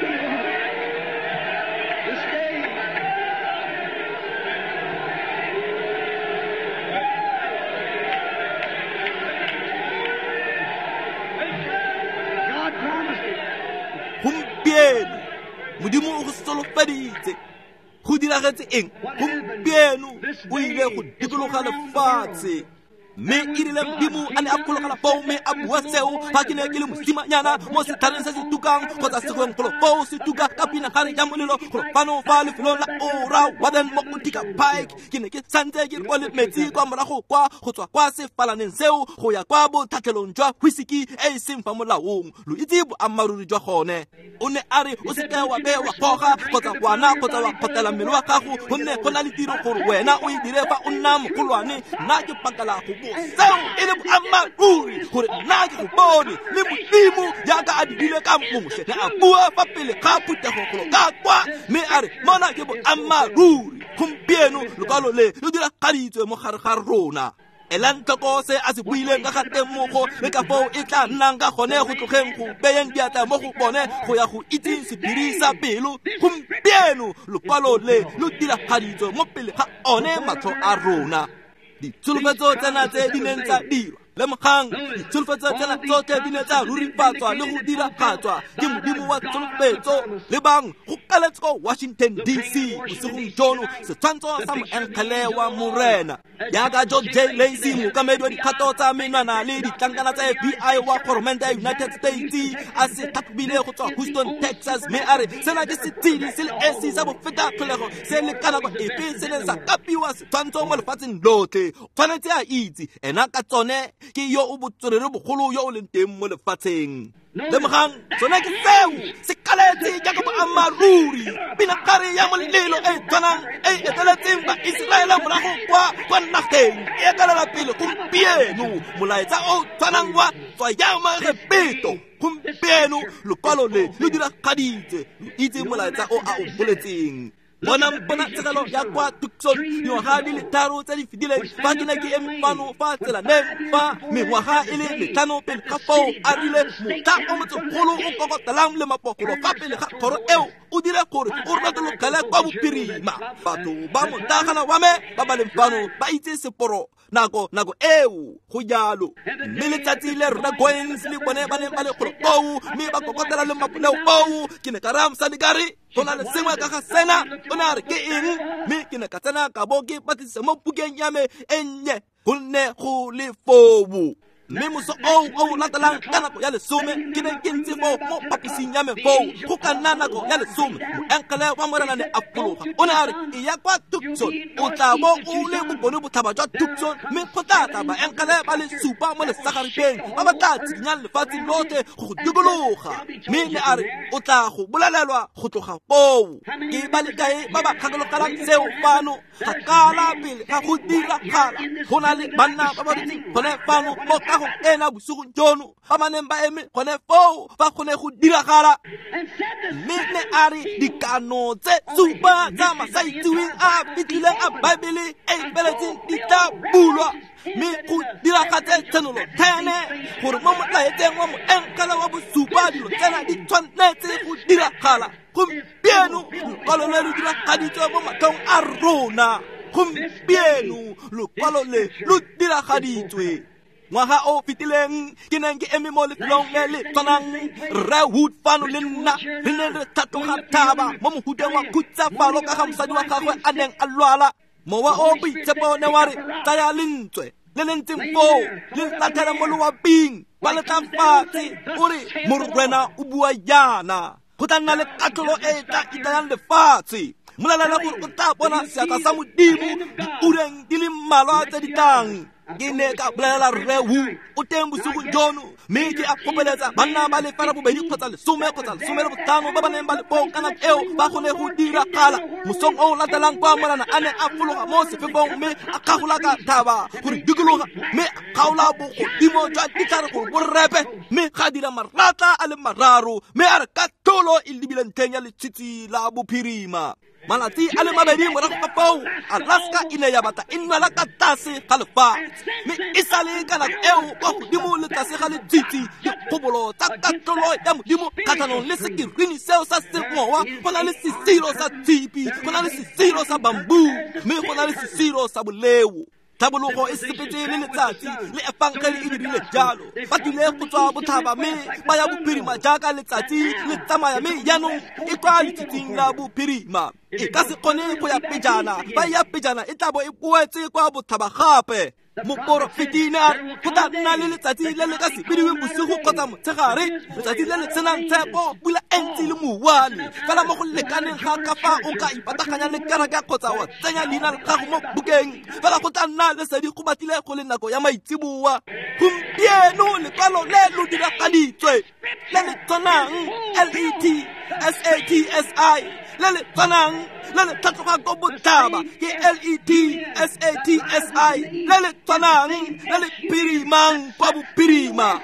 day. God promised it. Gompieno Modimo o go solofeditse. Go diragetse eng? Gompieno o ile go dikologa lefatshe. Mme e rile Modimo a ne a phologela foo mme a bua seo fa ke ne ke le mosimanyana mo setlhareng se se tukang kgotsa segweng golo foo se tuka ka pinagare ya molelo golo fano fa lefelong la Ora Warden mo Utica Pike. Ke ne ke santse ke rwale metsi kwa morago kwa go tswa kwa sefalaneng seo go ya kwa botlhatlhelong jwa whisky e e seng fa molaong. Lo itse boammaaruri jwa gone. O ne a re o seke wa be wa goga kgotsa wa nwa kgotsa wa kgotela mmele wa gago, gonne go na le tiro gore wena o e dire fa o nna mogolwane. Nna ke pakela go bo seo e le boammaaruri gore nna ke go bone le Modimo jaaka a dirile ka Moshe ne a bua fa pele ga phuthego golo ka kwa, mme a re mona ke boammaaruri. Gompieno lokwalo le lo diragaditswe mo gare ga rona. Elang tlhoko se a se buileng ka ga temogo le ka foo e tla nnang ka gone go tlogeng go beyeng diatla mo go bone go ya go itseng sephiri sa pelo. Gompieno lokwalo le lo diragaditswe mo pele ga one matlho a rona. Ditsholofetso tsena tse di neng tsa dirwa, lemogang, ditsholofetso tsena tsotlhe di ne tsa rurifatswa le go diragatswa ke Modimo wa tsholofetso. Lebang go kaletse ko Washington DC bosigong jono setshwantsho sa moengele wa Morena. Jaaka George J. Lacy, mookamedi wa dikgato tsa menwana le ditlankana tsa FBI wa goromente ya United States, a se tlhatlhobile go tswa Houston, Texas, mme a re sena ke setshedi se le esi sa bofeta tlholego se le ka nako epe se neng sa kapiwa setshwantsho mo lefatsheng lotlhe. Tshwanetse a itse ena ka tsone ke yo o botswerere bogolo yo o leng teng mo lefatsheng. Lemogang, sone ke seo se kaletse jaaka boammaaruri. Pinagare ya molelo e tshwanang e eteletseng ba Iseraele morago kwa nageng e etelela pele gompieno molaetsa o tshwanang wa tswayang Egepeto. Gompieno lokwalo le lo diragaditse, lo itse molaetsa o a o boletseng. Bonang ponatshegelo ya kwa Tucson dingwaga di le 3 tse di fetileng fa ke ne ke eme fano fa tselaneng fa mengwaga e le 5 pele ga foo a rile motlha o motsegolo o kokotelang le mapogolo fa pele ga kgoro eo o dire gore o retologele kwa bophirima. Batho ba motlagana wa me ba ba leng fano ba itse seporo nako eo go jalo. Mme letsatsi le rona Goins le bone ba neng ba le golo koo mme ba kokotela le mapoleo oo, ke ne ka raya mosadi ka re go na le sengwe ka ga sena. O ne a re ke eng, mme ke ne ka tsena ka bo ke batlisisa mo bukeng ya me e nnye gonne go le foo. Mme moso o latelang ka nako ya 10 ke ne ke ntse foo mo phaposing ya me foo go ka nna nako ya 10 moengele wa Morena ne a fologa. O ne a re e ya kwa Tucson, o tla bo o le bokone botlhaba jwa Tucson, mme go tla tla baengele ba le 7 mo lesagaripeng ba ba tla tshikinyang lefatshe lotlhe go go dikologa. Mme ne a re o tla go bolelelwa go tloga foo. Ke ba le kae ba ba gakologelang seo fano kgakala pele ga go diragala? Go na le banna ba ba dutseng gone fano mo kagong ena bosigong jono ba ba neng ba eme gone foo fa go ne go diragala. Mme ne a re dikano tse 7 tsa masaitseweng a fitlhileng a Baebele e e feletseng di tla bulwa, mme go diragatse tshenolo 10 gore mo molaetseng wa moengele wa bosupa dilo tsena di tshwanetse go diragala. Gompieno lokwalo le lo diragaditswe mo matlhong a rona. Gompieno lokwalo le lo diragaditswe. Ngwaga o fetileng ke neng ke eme mo lefelong le le tshwanang, Rre Wood fano le nna re ne re tlhatloga thaba mo mohuteng wa khutsafalo ka ga mosadi wa gagwe a neng a lwala. Mowa o boitshepo ne wa re tsaya lentswe le le ntseng foo le latlhele mo loaping ba le tla fatshe, o re Morena o bua jaana, go tla nna le katlholo e e tla itayang lefatshe. Molelela gore o tla bona seatla sa Modimo diureng di le mmalwa tse di tlang. Ke ne ka bolelela Rre Wu o teng bosigong jono, mme ke a kgopeletsa banna ba le 2 kgotsa 10 kgotsa 15 ba ba neng ba le foo ka nako eo ba kgone go diragala. Mosong o latelang kwa Morena a ne a fologa mo sefefong mme a kgagola ka thaba gore dikologa, mme a kgaola bogodimo jwa ditlhare gore bo repe, mme ga dira maratla a le 3, mme a re katlholo e lebile ntlheng ya letshitshi la bophirima. Malatsi a le 2 morago ga foo Alaska e ne ya batla e nwela ka tlase ga lefatshe, mme e sale ka nako eo kwa godimo le tlase ga letshitshi dikgobolo tsa katlholo ya Modimo kgatlhanong le sekirini seo sa semowa. Go na le sesiro sa tshipi, go na le sesiro sa bamboo, mme go na le sesiro sa boleo. Tlhabologo e sepetse le letsatsi le efangele e dirile jalo. Ba tlile go tswa botlhaba mme ba ya bophirima jaaka letsatsi le tsamaya, mme jaanong e kwa letsatsing la bophirima. E ka se kgone go ya pejana, fa e ya pejana e tla bo e boetse kwa botlhaba gape. Moporofeti ne a re go tla nna le letsatsi le le ka se bidiweng bosigo kgotsa motshegare, letsatsi le le senang tshepo, pula e ntsi le mouwane. Fela mo go lekaneng ga ka fa o ka ipataganya le kereke kgotsa wa tsenya leina la gago mo bukeng, fela go tla nna lesedi go batlile go le nako ya maitseboa. Gompieno lekwalo le lo diragaditswe le le tshwanang L-E-T S-A-T-S-I, le le tshwanang le le tlhatloga ko botlhaba ke L-E-T S-A-T-S-I, le le tshwanang le le phirimang kwa bophirima.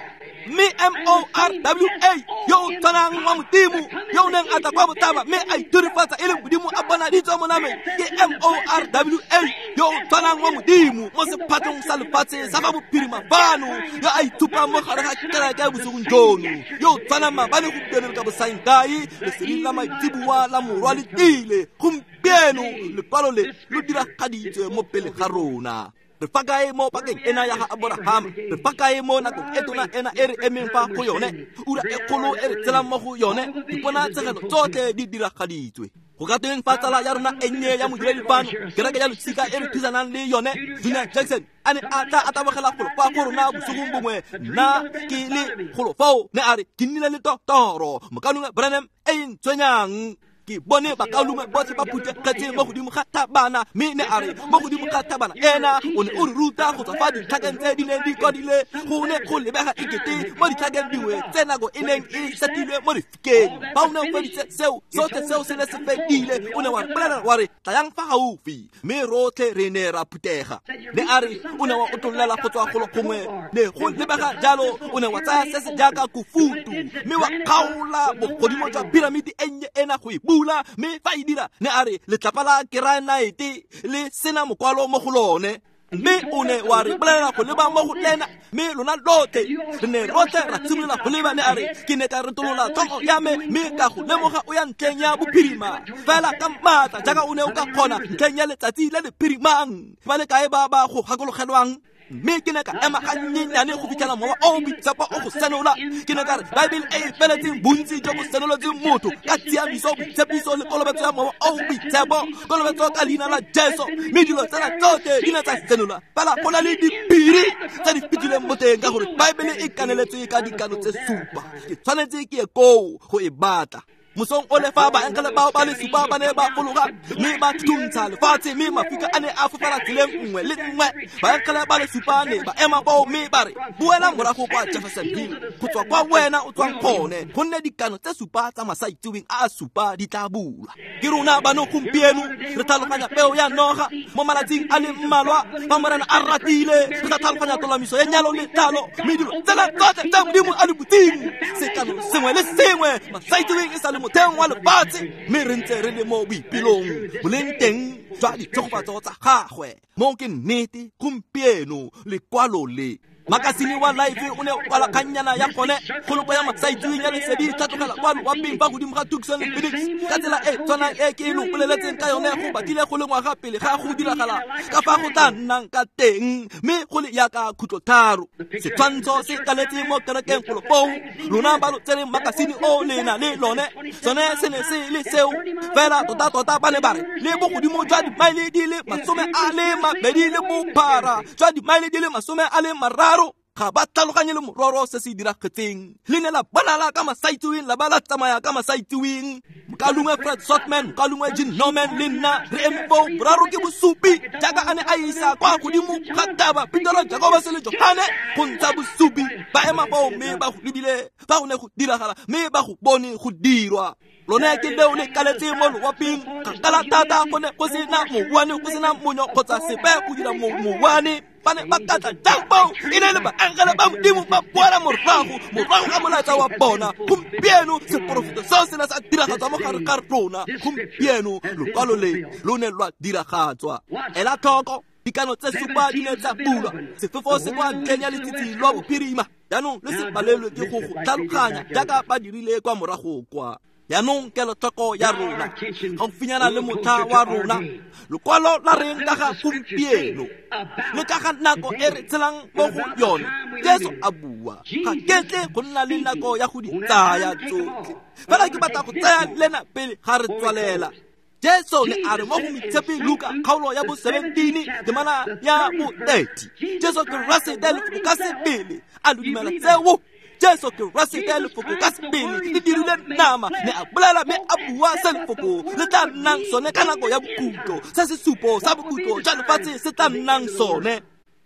Mme M-O-R-W-A yo o tshwanang wa Modimo yo o neng a tla kwa botlhaba mme a ithurifatsa e le Modimo a bonaditswe mo nameng ke M-O-R-W-A yo o tshwanang wa Modimo mo sephatlong sa lefatshe sa ba bophirima fano, yo a ithupang mo gare ga kereke bosigong jono, yo o tshwanang maabane gompieno le ka bosaengkae. Lesedi la maitseboa la Morwa le tlile gompieno, lekwalo le lo diragaditswe mo pele ga rona. Re fa kae mo pakeng ena ya ga Aborahama? Re fa kae mo nakong e tona ena e re emeng fa go yone, ura e kgolo e re tshelang mo go yone? Diponatshegelo tsotlhe di diragaditswe. Go ka tweng fa tsala ya rona e nnye ya modiredi fano, kereke ya losika e re thusanang le yone, Junior Jackson, a ne a tla a tabogela golo kwa go rona bosigong bongwe, nna ke le golo fao, ne a re ke nnile le toro mokaulengwe Branham e e ntshwenyang. Ke bone bakaulengwe botlhe ba phuthegetse mo godimo ga thabana, mme ne a re mo godimo ga thabana ena o ne o re ruta go tswa fa ditlhakeng tse di neng di kwadile. Go ne go lebega ekete mo ditlhakeng dingwe tse nako e neng e setilwe mo lefikeng. Fa o ne o feditse seo sotlhe, seo se ne se fedile, o ne wa re bolela wa re tlayang fa gaufi, mme rotlhe re ne ra phuthega. Ne a re o ne wa otlolela go tswa golo gongwe, ne go lebega jalo o ne wa tsaya se se jaaka kofutu mme wa kgaola bogodimo jwa piramiti e nnye ena go e bula, mme fa e dira ne a re letlapa la keranaete le sena mokwalo mo go lone. Mme o ne wa re bolelela go leba mo go lena, mme lona lotlhe re ne rotlhe ra simolola go leba. Ne a re ke ne ka retolola tlhogo ya me mme ka go lemoga o ya ntlheng ya bophirima fela ka maatla jaaka o ne o ka kgona ntlheng ya letsatsi le le phirimang. Ba le kae ba ba go gakologelwang? Mme ke ne ka ema gannyenyane go fitlhela mowa o boitshepo o go senola. Ke ne ka re Baebele e e feletseng bontsi jo bo senolotseng motho ka tshiamiso, boitshepiso le kolobetso ya mowa o boitshepo, kolobetso ka leina la Jesu, mme dilo tsena tsotlhe di ne tsa senola. Fela go na le diphiri tse di fitileng mo teng ka gore Baebele e kaneletswe ka dikano tse supa. Ke tshwanetse ke ye koo go e batla. Mosong o le fa baengele bao ba le supa ba ne ba fologa mme ba thuntsha lefatshe, mme mafika a ne a fofela tseleng nngwe le nngwe. Baengele ba le supa ne ba ema foo mme ba re boela morago kwa Jeffersonville go tswa kwa wena o tswang gone, gonne dikano tse supa tsa masaitseweng a a supa di tla bulwa. Ke rona bano gompieno re tlhaloganya peo ya noga mo malatsing a le mmalwa fa Morena a ratile, re tla tlhaloganya tolamiso ya nyalo le tlhalo, mme dilo tsena tsotlhe tse Modimo a di butseng, sekano sengwe le sengwe masaitseweng e sa le motheong wa lefatshe, mme re ntse re le mo boipelong boleng teng jwa ditshegofatso tsa gagwe. Mo ke nnete gompieno lekwalo le. Makasine wa Life o ne o kwala kgannyana ya gone kgoloko ya masaitseweng ya lesedi tlhatlogela kwa loaping fa godimo ga Tucson le Phoenix ka tsela e tshwanang e ke e lo boleletseng ka yone go batlile go le ngwaga pele ga go diragala ka fa go tla nnang ka teng, mme go le yaka khutlotharo. Setshwantsho se kaletse mo kerekeng golo foo, lona ba lo tsereng makasine o le na le lone, sone se ne se le seo fela tota-tota. Ba ne ba re le bogodimo jwa dimaele di le 22 le bophara jwa dimaele di le 23. Ga ba tlhaloganye le mororo se se diragetseng. Le ne la bonala ka masaitseweng, la ba la tsamaya ka masaitseweng. Mokaulengwe Fred Sotman, mokaulengwe Gene Norman le nna re eme foo boraro ke bosupi jaaka a ne a isa kwa godimo ga thaba Petero, Jakobose le Johane go ntsha bosupi. Ba ema foo mme ba go lebile fa go ne go diragala, mme ba go bone go dirwa. Lone ke leo le kaletse mo loaping kgakala thata, go ne go sena mouwane, go sena monyo kgotsa sepe go dira mouwane. Ba ne ba katla jang foo? E ne le baengele ba Modimo ba boela morago ga molaetsa wa bona. Gompieno seporofeto seo se ne sa diragatswa mo gare ga rona. Gompieno lokwalo le lo ne lwa diragatswa. Ela tlhoko, dikano tse supa di ne tsa bulwa, sefefo se kwa ntlheng ya letsitsi lwa bophirima. Jaanong le se palelwe ke go go tlhaloganya jaaka ba dirile kwa morago kwa. Jaanong kelotlhoko ya rona gaufinyana le motlha wa rona, lekwalo la reng ka ga gompieno le ka ga nako e re tshelang mo go yone. Jesu a bua, ga ketle go nna le nako ya go di tsaya tsotlhe, fela ke batla go tsaya lena pele ga re tswalela. Jesu ne a re mo go Moitshepi Luka kgaolo ya bo 17 temana ya bo 30, Jesu Keresete lefoko ka sebele. A lo dumela seo? Jesu Keresete lefoko ka sebele le dirile nama, ne a bolela mme a bua se lefoko le tla nnang sone ka nako ya bokhutlo, se sesupo sa bokhutlo jwa lefatshe se tla nnang sone.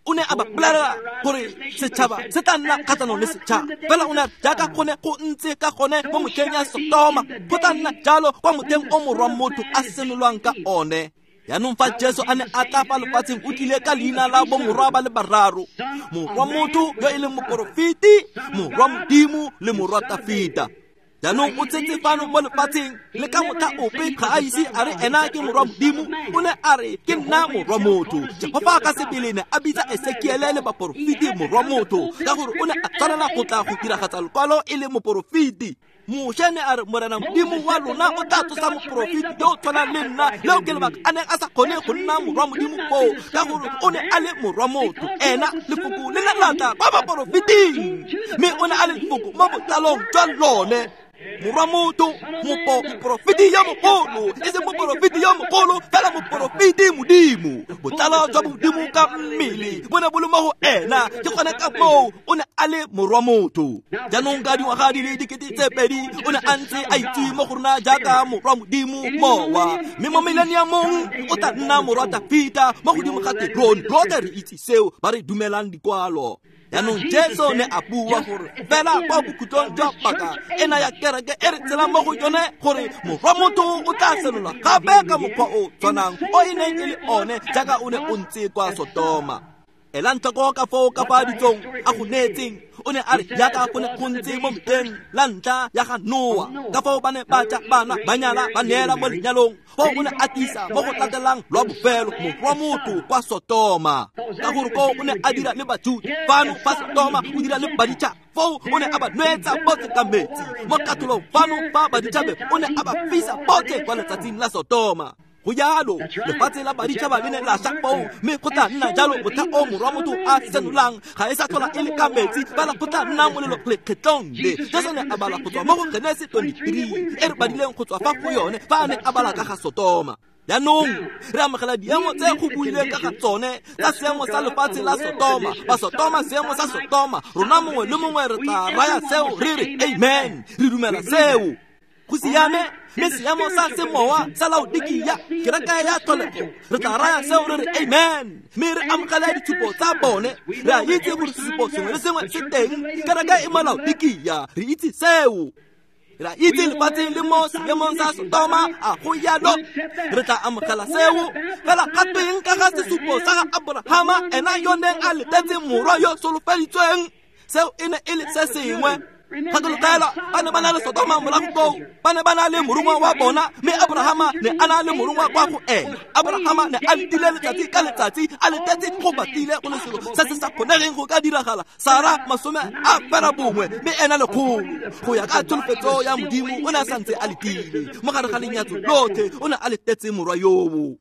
O ne a ba bolelela gore setšhaba se tla nna kgatlhanong le setšhaba, fela o ne a jaaka go ne go ntse ka gone mo motlheng ya Sotoma, go tla nna jalo kwa motlheng o morwa motho a senolwang ka one. Jaanong fa Jesu a ne a tla fa lefatsheng, o tlile ka leina la bomorwa ba le bararo: morwa motho yo e leng moporofeti, morwa Modimo le morwa Tafita. Jaanong o tshetse fano mo lefatsheng, le ka motlha ope ga a ise a re ena ke morwa Modimo. O ne a re ke nna morwa motho. Jehofa ka sebele ne a bitsa Esekiele le baporofeti morwa motho, ka gore o ne a tshwanela go tla go diragatsa lekwalo e le moporofeti. Moshe ne a re Morena Modimo wa lona o tla tsosa moporofeti yo o tshwanang le nna. Leo ke lebaka a neng a sa kgone go nna morwa Modimo foo, ka gore o ne a le morwa motho. Ena lefoko le ne la tla kwa baporofeting, mme o ne a le lefoko mo botlalong jwa lone. Morwa motho, moporofeti yo mogolo, e seng moporofeti yo mogolo, fela moporofeti Modimo. Botlalo jwa Modimo ka mmele bo ne bo le mo go ena, ke gone ka moo o ne a le morwa motho. Jaanong ka dingwaga di le 2000 o ne a ntse a itse mo go rona jaaka morwa Modimo mowa, mme mo mileniamong o tla nna morwa Tafita mo godimo ga terone. Rotlhe re itse seo, ba re dumelang dikwalo. Jaanong Jesu ne a bua gore fela kwa bokhutlong jwa paka ena ya kereke e re tshelang mo go yone, gore morwa motho o tla senolwa gape ka mokgwa o tshwanang o e neng e le one jaaka o ne o ntse kwa Sotoma. Elang tlhoko ka foo ka fa ditsong a go neetseng. O ne a re jaaka go ne go ntse mo metlheng la ntlha ya ga Noa, ka foo ba ne ba ja bana, ba nyala, ba neela mo lenyalong. Foo o ne a tlisa mo go latelang lwa bofelo morwa motho kwa Sotoma, ka gore koo o ne a dira le Bajuda. Fano fa Sotoma o dira le baditšhaba, foo o ne a ba nwetsa botlhe ka metsi. Mo katholong fano fa baditšhabe o ne a ba fisa botlhe kwa letsatsing la Sotoma. Go jalo lefatshe la baditšhaba le ne la ša foo, mme go tla nna jalo motlha o morwa motho a senolang. Ga e sa tlhola e le ka metsi, fela go tla nna molelo lekgetlong le. Jesu ne a bala go tswa mo go Genesi 23 e re badileng go tswa fa go yone fa a ne a bala ka ga Sotoma. Jaanong re amogela diemo tse go buileng ka ga tsone tsa seemo sa lefatshe la Sotoma. Ba Sotoma, seemo sa Sotoma, rona mongwe le mongwe re tla raya seo re re amen, re dumela seo. Go siame, mme seemo sa semowa sa Laodikia, kereke ya tlholego, re tla raya seo re re amen, mme re amogela ditshupo tsa bone. Re a itse gore sesupo sengwe le sengwe se teng. Kereke e mo Laodikia, re itse seo. Re a itse lefatshe le mo seemong sa Sotoma, a go jalo re tla amogela seo. Fela ga tweng ka ga sesupo sa ga Aborahama, ena yo neng a letetse morwa yo solofeditsweng? Seo e ne e le se sengwe. Gakologelwa, ba ne ba na le Sotoma morago koo, ba ne ba na le morongwa wa bona, mme Aborahama ne a na le morongwa kwa go ena. Aborahama ne a letile letsatsi ka letsatsi, a letetse go batlile go le selo se se sa kgonegeng go ka diragala. Sara 79, mme ena 100. Go ya ka tsholofetso ya Modimo, o ne a santse a letile. Mo gare ga lenyatso lotlhe, o ne a letetse morwa yoo.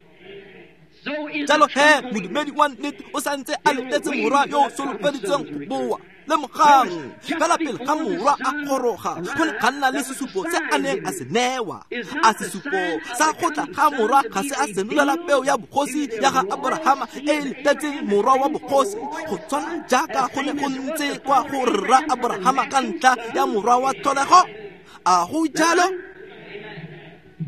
Jalo he, modumedi wa nnete o santse a letetse morwa yo o solofeditsweng go boa. Lemogang, fela pele ga morwa a goroga, go ne ga nna le sesupo se a neng a se newa. A sesupo sa go tla ga morwa ga se a senolela peo ya bogosi ya ga Aborahama e e letetseng morwa wa bogosi, go tshwana jaaka go ne go ntse kwa go rra Aborahama ka ntlha ya morwa wa tlholego? A go jalo?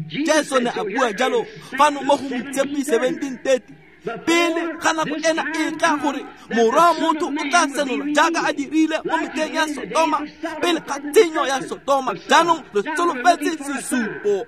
Jesu ne a bua jalo fano mo go Moitshepi 17:30, pele ga nako ena e tla gore morwa motho o tla senolwa jaaka a dirile mo metlheng ya Sotoma, pele ga tshenyo ya Sotoma. Jaanong re solofetse sesupo.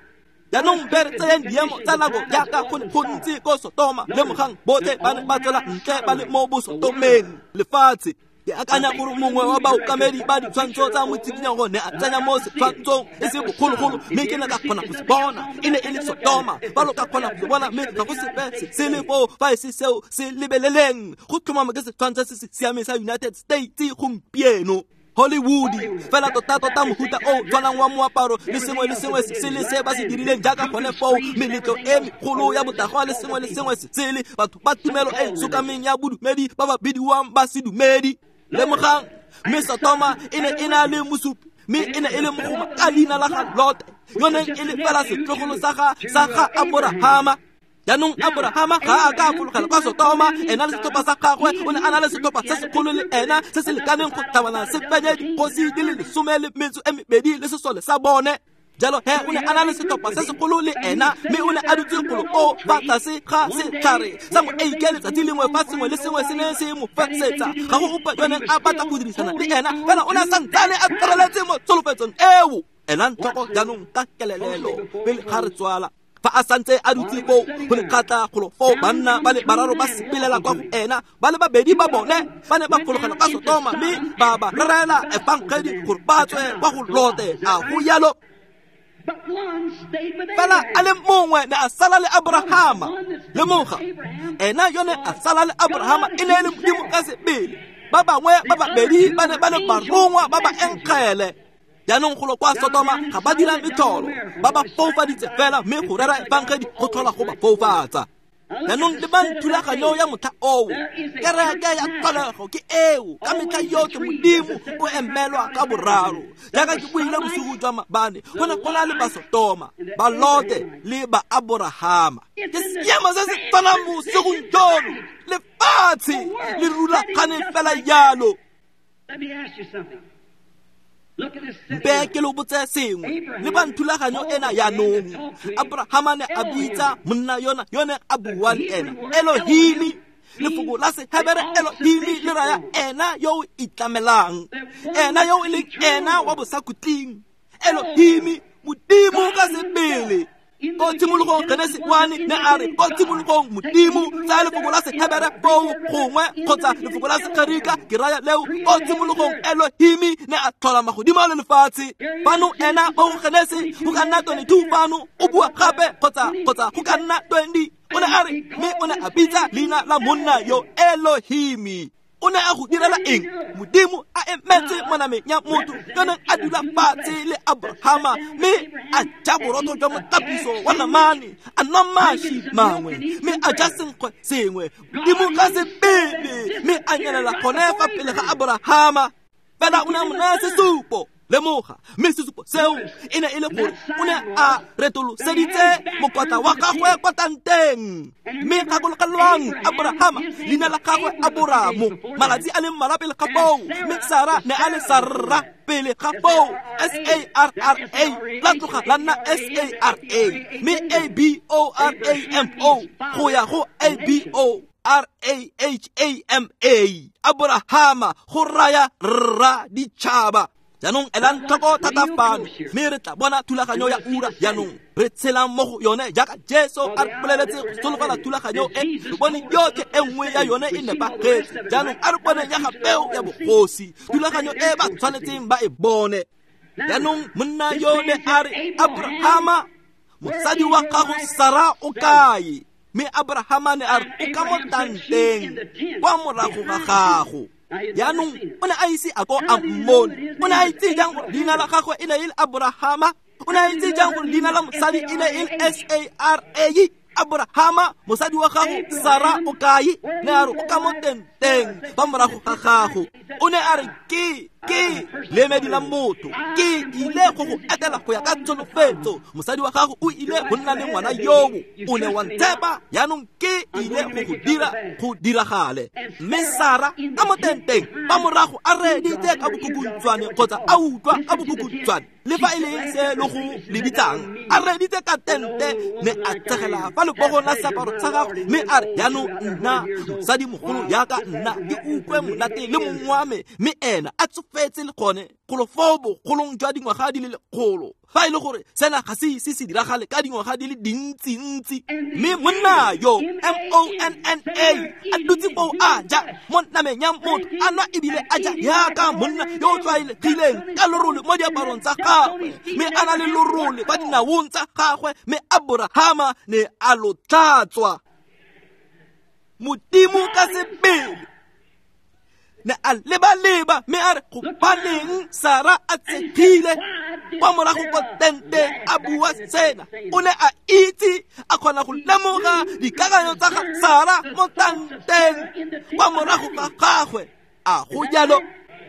Jaanong be re tseyeng diemo tsa nako jaaka go ne go ntse ko Sotoma. Lemogang, botlhe ba ne ba tswela ntle ba le mo bosotomeng lefatshe. Ke akanya gore mongwe wa baokamedi ba ditshwantsho tsa motsikinyago ne a tsenya mo setshwantshong e se bogologolo, mme ke ne ka kgona go se bona. E ne e le Sotoma. Ba lo ka kgona go se bona, mme ga go sepe se sele foo fa e se seo se lebeleleng. Go tlhomama ke setshwantsho se se siameng sa United States gompieno. Hollywood, fela tota-tota mohuta o tshwanang wa moaparo le sengwe le sengwe se le se ba se dirileng jaaka gone foo, meletlo e megolo ya botagwa le sengwe le sengwe se sele, batho ba tumelo e sokameng ya bodumedi ba ba bidiwang ba sedumedi. Lemogang, mme Sotoma e ne e na le mosupi, mme e ne e le mogoma ka leina la ga Lote. yo neng e le fela setlogolo sa ga Aborahama. Jaanong Aborahama ga a ka a fologela kwa Sotoma, ena le setlhopha sa gagwe. O ne a na le setlhopha se segolo le ena se se lekaneng go tlhabana se fenye dikgosi di le 12 le sesole sa bone. Jalo he o ne a na le setlhopha se segolo le ena, mme o ne a dutse golo koo fa tlase ga setlhare sa moeike letsatsi lengwe fa sengwe le sengwe se ne se mo fesetsa. Ga go ope yo neng a batla go dirisana le ena, fela o ne a santsane a tshwareletse mo tsholofetsong eo. Elang tlhoko jaanong ka kelelelo pele ga re tswala. Fa a santse a dutse foo, go ne kgatla golo foo banna ba le bararo ba sepelela kwa go ena, ba le babedi ba bone ba ne ba fologela kwa Sotoma mme ba ba rerela efangedi gore ba tswe kwa go Lote. A go jalo? Fela a le mongwe ne a sala le Aborahama. Lemoga, ena yone a sala le Aborahama e ne e le Modimo ka sebele. Ba bangwe ba babedi ba ne ba le barongwa ba ba enkgele. Jaanong golo kwa Sotoma ga ba dira metlholo, ba ba foufaditse fela, mme go rera efangedi go tlhola go ba foufatsa. Jaanong lebang thulaganyo ya motlha oo, kereke ya tlholego ke eo. Ka metlha yotlhe Modimo o emelwa ka boraro. Jaaka ke buile bosigo jwa maabane, go ne go na le ba Sotoma, ba Lote le ba Aborahama. Ke seemo se se tshwanang bosigong jono, lefatshe le rulagane fela jalo. Mpe ke lo botse sengwe, le ba thulaganyo ena jaanong. Aborahama ne a bitsa monna yona yone a bua le ena Elohimi. Lefoko la Sehebere Elohimi le raya ena yo o itlamelang, ena yo e leng ena wa bosakhutleng. Elohimi, Modimo ka sebele. Ko tshimologong Genesi 1 ne a re ko tshimologong Modimo. Tsaya lefoko la Sehebere foo gongwe kgotsa lefoko la Segerika ke raya leo. Ko tshimologong Elohimi ne a tlhola magodimo le lefatshe. Fano ena mo go Genesi go ka nna 22 fano o bua gape kgotsa go ka nna 20. O ne a re mme o ne a bitsa leina la monna yo Elohimi. O ne a go direla eng? Modimo a emetse mo nameng ya motho yo neng a dula fatshe le Aborahama, mme a ja borotho jwa motapiso wa namane, a nwa maši mangwe, mme a ja senkgwe sengwe. Modimo ka sebele, mme a nyelela gone fa pele ga Aborahama. Fela o ne a mo naya sesupo. Lemoga, mme sesupo seo e ne e le gore o ne a retoloseditse mokwatla wa gagwe kwa tanteng. Mme gakologelwang Aborahama, leina la gagwe Aboramo, malatsi a le mmalwa pele ga foo, mme Sara ne a le Sarra pele ga foo, S-A-R-R-A, la tloga la nna S-A-R-A, mme A-B-O-R-A-M-O go ya go A-B-O-R-A-H-A-M-A. Aborahama go raya rra ditšhaba. Jaanong elang tlhoko thata fano, mme re tla bona thulaganyo ya ura jaanong re tshelang mo go yone jaaka Jesu a re boleletse go solofela thulaganyo e. Re bone yotlhe e nngwe ya yone e nepagetse. Jaanong a re bone ya ga peo ya bogosi, thulaganyo e ba tshwanetseng ba e bone. Jaanong monna yo ne a re, Aborahama, mosadi wa gago Sara o kae? Mme Aborahama ne a re, o ka mo tanteng kwa morago ga gago. Jaanong o ne a ise a ko a mmone. O ne a itse jang gore leina la gagwe e ne e le Aborahama? O ne a itse jang gore leina la mosadi e ne e le S-A-R-A? Aborahama, mosadi wa gago Sara o kae? Ne a re o ka mo tenteng fa morago ga gago. O ne a re ke leemedi la motho, ke ile go go etela go ya ka tsholofetso. Mosadi wa gago o ile go nna le ngwana yoo, o ne wa ntshepa, jaanong ke ile go go dira go diragale. Mme Sara ka mo tenteng fa morago a reeditse ka bokhukhuntshwane kgotsa a utlwa ka bokhukhuntshwane, le fa e le se le go le bitsang, a reeditse ka tente, ne a tsegela fa lebogong la seaparo sa gagwe, mme a re jaanong nna mosadi mogolo jaaka nna ke utlwe monate le mong wa me, mme ena a tsofetse le gone golo foo bogolong jwa dingwaga di le 100. Fa e le gore sena ga se ise se diragale ka dingwaga di le dintsintsi. Mme monna yo M-O-N-N-A a dutse foo a ja mo nameng ya motho, a nwa ebile a ja jaaka monna yo o tlwaelegileng ka lorole mo diaparong tsa gagwe, mme a na le lorole fa dinaong tsa gagwe, mme Aborahama ne a lo tlatswa. Modimo ka sebele ne a leba-leba, mme a re gobaneng Sara a tshegile kwa morago kwa tenteng a bua sena. O ne a itse, a kgona go lemoga dikakanyo tsa ga Sara mo tanteng kwa morago ga gagwe. A go jalo?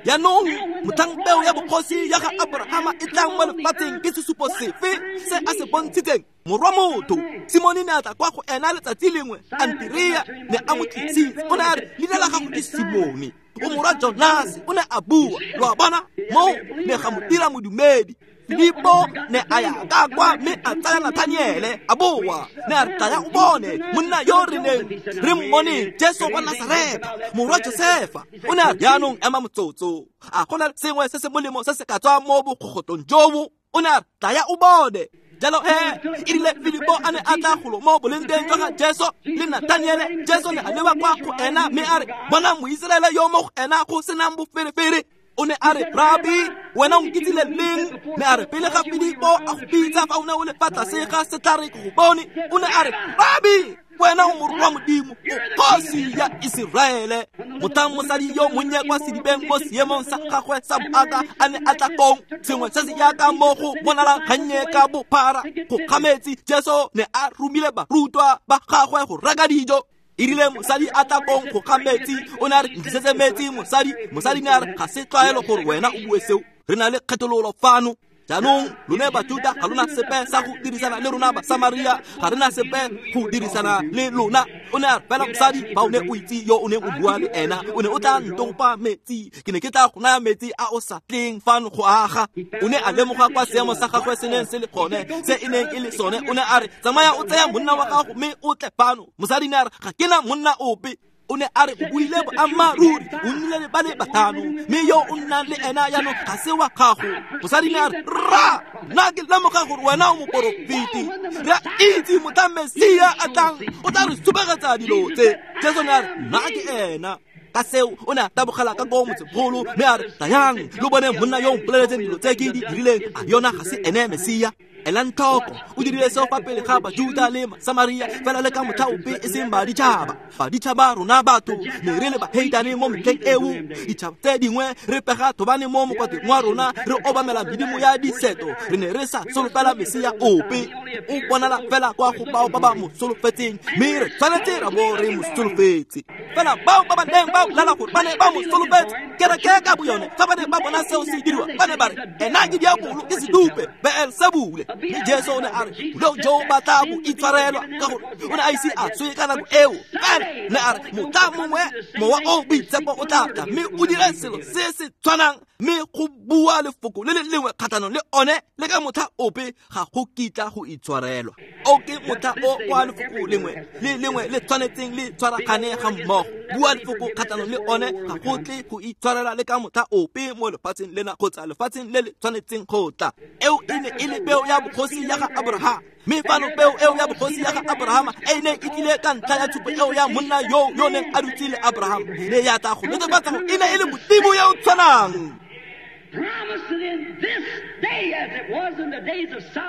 Jaanong motlhang peo ya bogosi ya ga Abrahama e tlang mo lefatsheng ke sesupo sefe se a se bontshitseng? Morwa motho. Simone ne a tla kwa go ena letsatsi lengwe, Anterea ne a mo tlisitse. O ne a re, leina la gago ke Simone, o morwa Jonase. O ne a bua, lo a bona, moo ne ga mo dira modumedi. Filipo ne a ya ka kwa mme a tsaya Nathaniele a boa, ne a re, tlaya o bone monna yo re neng re mmoneng, Jesu wa Nasaretha, morwa Josefa. O ne a re, jaanong ema motsotso, a go na le sengwe se se molemo se se ka tswang mo bokgogotlong jobo? O ne a re, tlaya o bone. Jalo e rile Filipo a ne a tla golo mo bolengteng jwa ga Jesu le Nathaniele, Jesu ne a leba kwa go ena mme a re, bona Moiseraele yo mo go ena go senang boferefere. O ne a re, Rabi, wena o nkitsile leng? Ne a re, pele ga Filipo a go bitsa fa o ne o le fa tlase ga setlhare ke go bone. O ne a re, Rabi, wena o morwa Modimo, o kgosi ya Iseraele. Motlhang mosadi yo monnye kwa sedibeng mo seemong sa gagwe sa boaka a ne a tla kong, sengwe se se jaaka mo go bonalang gannye ka bophara go kga metsi, Jesu ne a romile barutwa ba gagwe go reka dijo. E rile mosadi a tla kong go kga metsi, o ne a re, ntlisetse metsi mosadi. Mosadi ne a re, ga se tlwaelo gore wena o bue seo, re na le kgethololo fano. Jaanong lone Bajuta ga lona sepe sa go dirisana le rona Basamaria, ga re na sepe go dirisana le lona. O ne a re, fela mosadi, fa o ne o itse yo o neng o bua le ena, o ne o tla ntopa metsi, ke ne ke tla go naya metsi a o sa tleng fano go aga. O ne a lemoga kwa seemo sa gagwe se neng se le gone, se e neng e le sone. O ne a re, tsamaya o tsaya monna wa gago mme o tle fano. Mosadi ne a re, ga ke na monna ope. O ne a re, o buile boammaaruri, o nnile le ba le batlhano, mme yo o nnang le ena jaanong ga se wa gago. Mosadi ne a re, rra, nna ke lemoga gore wena o moporofeti. Re a itse motlhang Mesia a tlang, o tla re supegetsa dilo tse. Jesu ne a re, nna ke ena. Ka seo o ne a tabogela ka koo motsemogolo mme a re, tlayang lo bone monna yo o mpoleletseng dilo tse ke di dirileng, a yona ga se ene Mesia? Elang tlhoko, o dirile seo fa pele ga Bajuta le Masamaria, fela le ka motlha ope e seng baditšhaba. Baditšhaba rona batho ne re le baheitane mo metlheng eo, ditšhaba tse dingwe re pega thobane mo mokwatleng wa rona, re obamela medimo ya diseto, re ne re sa solofela Mesia ope. O bonala fela kwa go bao ba ba mo solofetseng, mme re tshwanetse ra bo re mo solofetse. Fela bao ba ba neng ba bolela gore ba ne ba mo solofetse, kereke ka boyone, fa ba ne ba bona seo se diriwa, ba ne ba re, ena ke diabolo, ke sedupe, Beelsebule. Mme Jesu o ne a re, boleo jo ba tla bo itshwarelwa, ka gore o ne a ise a swe ka nako eo. Fela ne a re, motlha mongwe mowa o boitshepo o tla tla mme o dire selo se se tshwanang, mme go bua lefoko le le lengwe kgatlhanong le one le ka motlha ope ga go kitla go itshwarelwa. O ke motlha o kwa lefoko lengwe le lengwe le tshwanetseng le tshwaragane ga mmogo. Bua lefoko kgatlhanong le one ga go tle go itshwarela le ka motlha ope mo lefatsheng lena kgotsa lefatsheng le le tshwanetseng go tla. Eo e ne e le peo ya bogosi ya ga Abrahama, mme fano peo eo ya bogosi ya ga Abrahama e neng e tlile ka ntlha ya tshupo eo ya monna yo yo neng a dutse le Abrahama, ne ya tla go netefatsa gore e ne e le Modimo yo o tshwanang.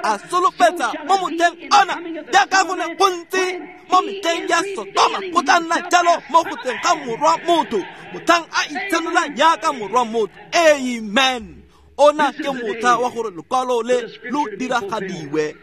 A solofetsa mo motlheng ona jaaka go ne go ntse mo metlheng ya Sodoma, go tla nna jalo mo go tleng ga morwa motho, motlhang a itshenola jaaka morwa motho. Amen. Ona ke motlha wa gore lekwalo le lo diragadiwe.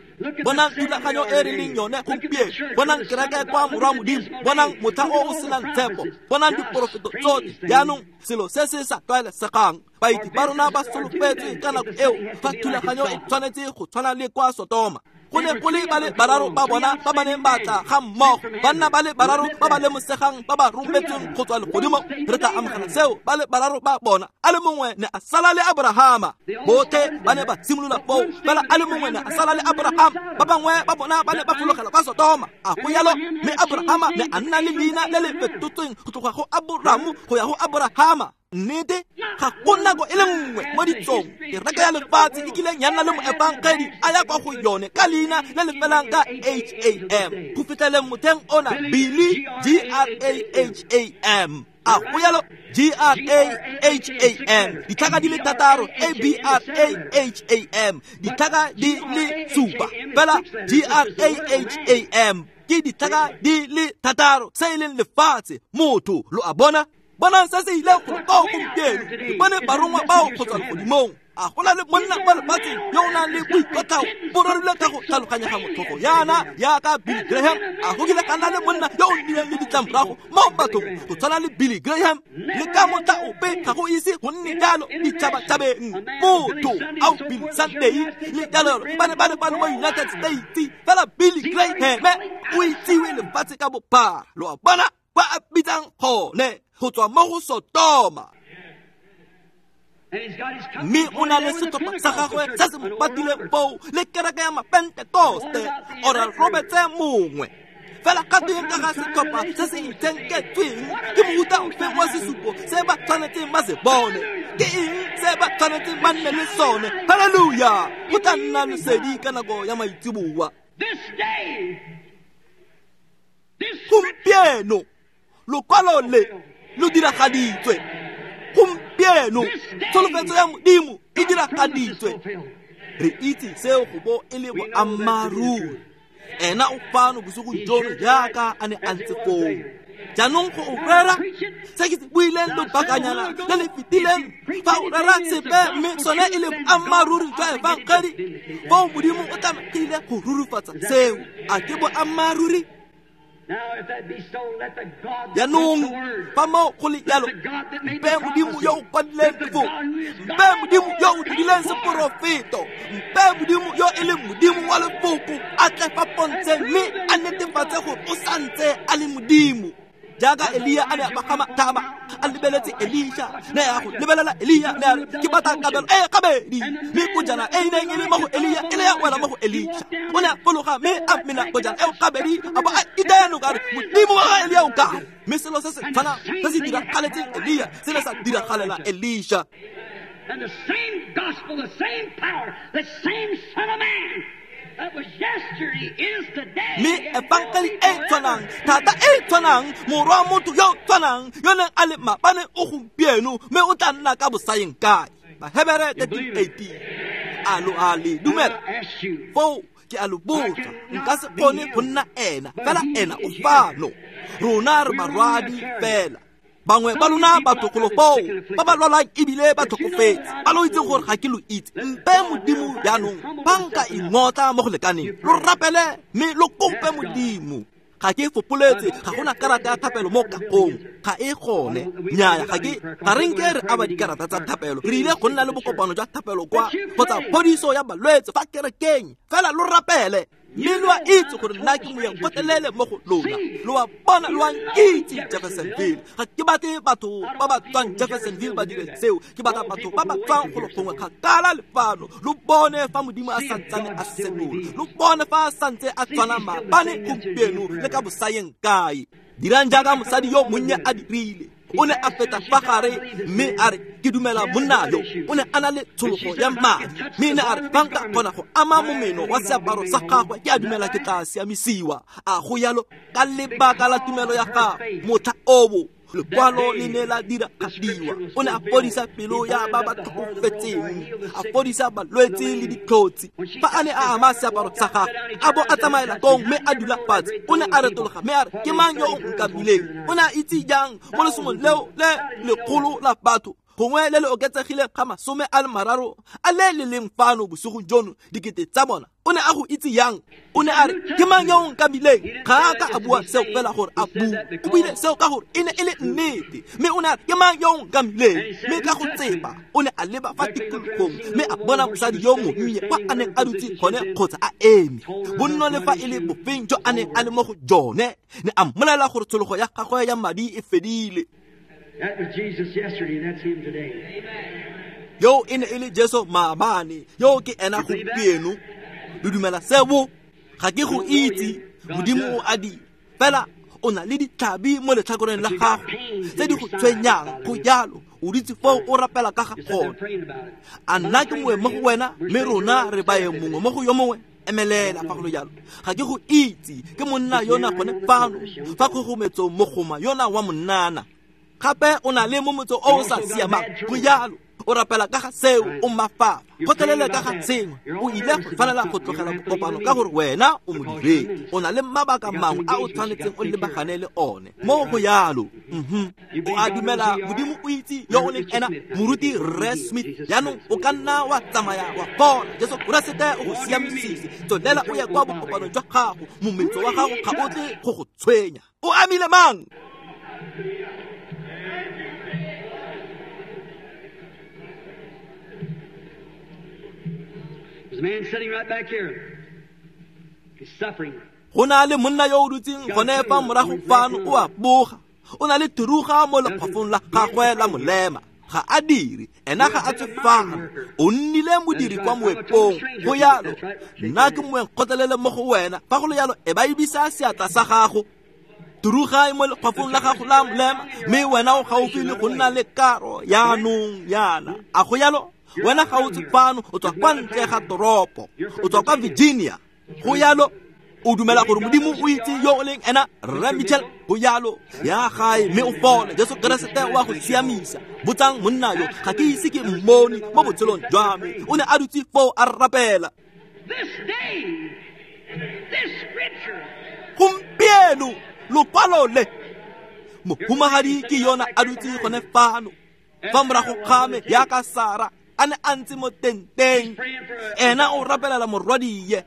Bonang thulaganyo e re leng yone gompieno, bonang kereke kwa morwa Modimo, bonang motlha o o senang tshepo, bonang diporofeto tsotlhe. Jaanong selo se se sa tlwaelesegang, baeti ba rona ba solofetse ka nako eo fa thulaganyo e tshwanetse go tshwana le kwa Sodoma. Go ne go le ba le bararo ba bona ba ba neng ba tla ga mmogo, banna ba le bararo ba ba lemosegang ba ba rometsweng go tswa legodimo. Re tla amogela seo, ba le bararo ba bona. A le mongwe ne a sala le Abrahama, botlhe ba ne ba simolola foo, fela a le mongwe ne a sala le Abrahama, ba bangwe ba bona ba ne ba fologela kwa Sodoma. A go jalo, mme Abrahama ne a nna le leina le le fetotsweng go tloga go Abramu go ya go Abrahama. Nnete, ga go nako e le nngwe mo ditsong kereke ya lefatshe e kileng ya nna le moefangedi a ya kwa go yone ka leina le le felang ka H-A-M go fitlheleng motlheng ona Billy G-R-A-H-A-M. A go jalo, G-R-A-H-A-M, ditlhaka di le thataro, A-B-R-A-H-A-M, ditlhaka di le supa, fela G-R-A-H-A-M ke ditlhaka di le thataro, se e leng lefatshe, motho, lo a bona. Bonang se se ileng go koo gompieno, ke bone barongwa bao go tswa legodimong. A go na le monna mo lefatsheng yo o nang le boikotlhao bo rorilwe ka go tlhaloganya ga motlhogo yana yaka Billy Graham? A go kile ka nna le monna yo o nnileng le ditlamorago mo bathong go tshwana le Billy Graham? Le ka motlha ope ga go ise go nne jalo ditšhabatšhabeng. Motho ao Billy Sunday le jalo ba ne ba le fano mo United States, fela Billy Graham o itsiwe lefatshe ka bophara. Lo a bona kwa a bitsang gone go tswa mo go Sotoma. Mme o na le setlhopha sa gagwe se se mo patileng foo le kereke ya Mapentekoste, Oral Roberts mongwe. Fela ga tweng ka ga setlhopha se se itshenketsweng? Ke mohuta ofe wa sesupo se ba tshwanetseng ba se bone? Ke eng se ba tshwanetseng ba nne le sone? Halleluja! Go tla nna lesedi ka nako ya maitseboa. Gompieno lokwalo le lo diragaditswe. Gompieno tsholofetso ya Modimo e diragaditswe. Re itse seo go bo e le boammaaruri. Ena o fano bosigo jono jaaka a ne a ntse foo. Jaanong go o rera se ke se buileng lobakanyana le le fetileng, fa o rera sepe mme sone e le boammaaruri jwa efangedi, foo Modimo o tlamegile go rurifatsa seo. A ke boammaaruri? Jaanong fa moo go le jalo, mpe Modimo yo o kwadileng lefoko, mpe Modimo yo o dirileng seporofeto, mpe Modimo yo e leng Modimo wa lefoko a tle fa pontsheng mme a netefatse gore o santse a le Modimo. Jaaka Elia a ne a pagama thaba a lebeletse Elisha, ne a go lebelela Elia, ne a re ke batla kabelo e gabedi, mme kojana e neng e le mo go Elia e ne ya wela mo go Elisha. O ne a fologa mme a mena kojana eo gabedi, a bo a itaya noka a re Modimo wa ga Elia o kae? Mme selo se se tshwanang se se diragaletseng Elia se ne sa diragalela Elisha. And the same gospel, the same power, the same Son of Man that was yesterday is today. Mme efangedi e tshwanang, thata e tshwanang, morwa motho yo tshwanang, yo neng a le maabane o gompieno, mme o tla nna ka bosayeng kae. Bahebere 13:18. A lo a le dumela? Foo ke a lo botsa, nka se kgone go nna ena, fela ena o fano. Rona re barwadi fela. Bangwe ba lona batho golo foo ba ba lwalang ebile ba tlhokofetse, ba lo itseng gore ga ke lo itse. Mpe Modimo jaanong ba nka ingotla mo go lekaneng, lo rapele mme lo kope Modimo. Ga ke fopoletse, ga gona karata ya thapelo mo kagong, ga e gone. Nnyaya, ga re nke re aba dikarata tsa thapelo. Re ile go nna le bokopano jwa thapelo kwa kgotsa phodiso ya balwetse fa kerekeng, fela lo rapele. Mme lo a itse gore nna ke moyeng gotlhelele mo go lona. Lo a bona, lo a nkitse Jeffersonville. Ga ke batle batho ba ba tswang Jeffersonville ba dire seo. Ke batla batho ba ba tswang golo gongwe kgakala le fano. Lo bone fa Modimo a santsane a senola. Lo bone fa a santse a tshwana maabane, gompieno le ka bosayeng kae. Dirang jaaka mosadi yo monnye a dirile. O ne a feta fa gare mme a re ke dumela monna yo. O ne a na le tshologo ya madi, mme ne a re fa nka kgona go ama momeno wa seaparo sa gagwe, ke a dumela ke tla siamisiwa. A go yalo ka lebaka la tumelo ya gagwe. Motlha oo lekwalo le ne la diragadiwa. O ne a fodisa pelo ya ba ba tlhokofetseng, a fodisa balwetse le ditlhotsi. Fa a ne a ama seaparo sa gagwe, a bo a tsamaela kong mme a dula fatshe. O ne a retologa mme a re ke mang yo o nkamileng? O ne a itse jang mo lesomong leo le lekgolo la batho, gongwe le le oketsegileng ga 30 a le le leng fano bosigo jono, dikete tsa bona? O ne a go itse yang? O ne a re ke mang yo o nkamileng? Ga a ka a bua seo fela gore a bue, o buile seo ka gore e ne e le nnete. Mme o ne a re ke mang yo o nkamileng? Mme ka go tsepa o ne a leba fa tikologong mme a bona mosadi yo monnye kwa a neng a dutse gone kgotsa a eme, bonno le fa e le bofeng jo a neng a le mo go jone. Ne a mmolelela gore tshologo ya gagwe ya madi e fedile. That was Jesus yesterday, that's him today. Yo e ne e le Jesu maabane, yo ke ena gompieno. Lo dumela seo? Ga ke go itse, Modimo o a di. Fela o na le ditlhabi mo letlhakoreng la gago tse di go tshwenyang, go jalo. O dutse foo o rapela ka ga gone. A nna ke mongwe mo go wena, mme rona re baeng mongwe mo go yo mongwe. Emelela fa go le jalo. Ga ke go itse, ke monna yona gone fano fa kgogometsong mogoma yona wa monnana. Gape o na le momotso o o sa siamang, go jalo. O rapela ka ga seo, o mafafa. Kgotlelele ka ga sengwe, o ile go tshwanela go tlogela bokopano ka gore wena o modiredi. O na le mabaka mangwe a o tshwanetseng o lebagane le one. Mo go yalo. O a dumela Modimo o itse yo o leng ena, moruti Rre Smith. Jaanong o ka nna wa tsamaya wa bona Jesu Keresete o go siamisitse. Tswelela o ye kwa bokopanong jwa gago, mometso wa gago ga o tle go go tshwenya. O amile mang? There's a man sitting right back here. He's suffering. Go na le monna yo o dutseng gone fa morago fano, o a boga. O na le thuruga mo lekgwafong la gagwe la molema. Ga a dire, ena ga a tswe fano. O nnile modiri kwa moepong. Go yalo, nna ke moeng kgotlelele mo go wena. Fa go le yalo, e ba ebisa seatla sa gago. Thuruga e mo lekgwafong la gago la molema, mme wena o gaufi le go nna le karo yaanong yana. A go yalo? Wena ga o tswe fano, o tswa kwa ntle ga toropo. O tswa kwa Virginia. Go yalo, o dumela gore Modimo o itse yo o leng ena, Rre Mitchell. Go yalo, ya gae mme o fole. Jesu Keresete o a go siamisa. Botsang monna yo, ga ke ise ke mmone mo botshelong jwa me. O ne a dutse foo a rapela. This day, this scripture. Gompieno lokwalo le, mohumagadi ke yona a dutse gone fano fa morago ga me yaka Sara a ne a ntse mo tenteng. Ena o rapelela morwadie.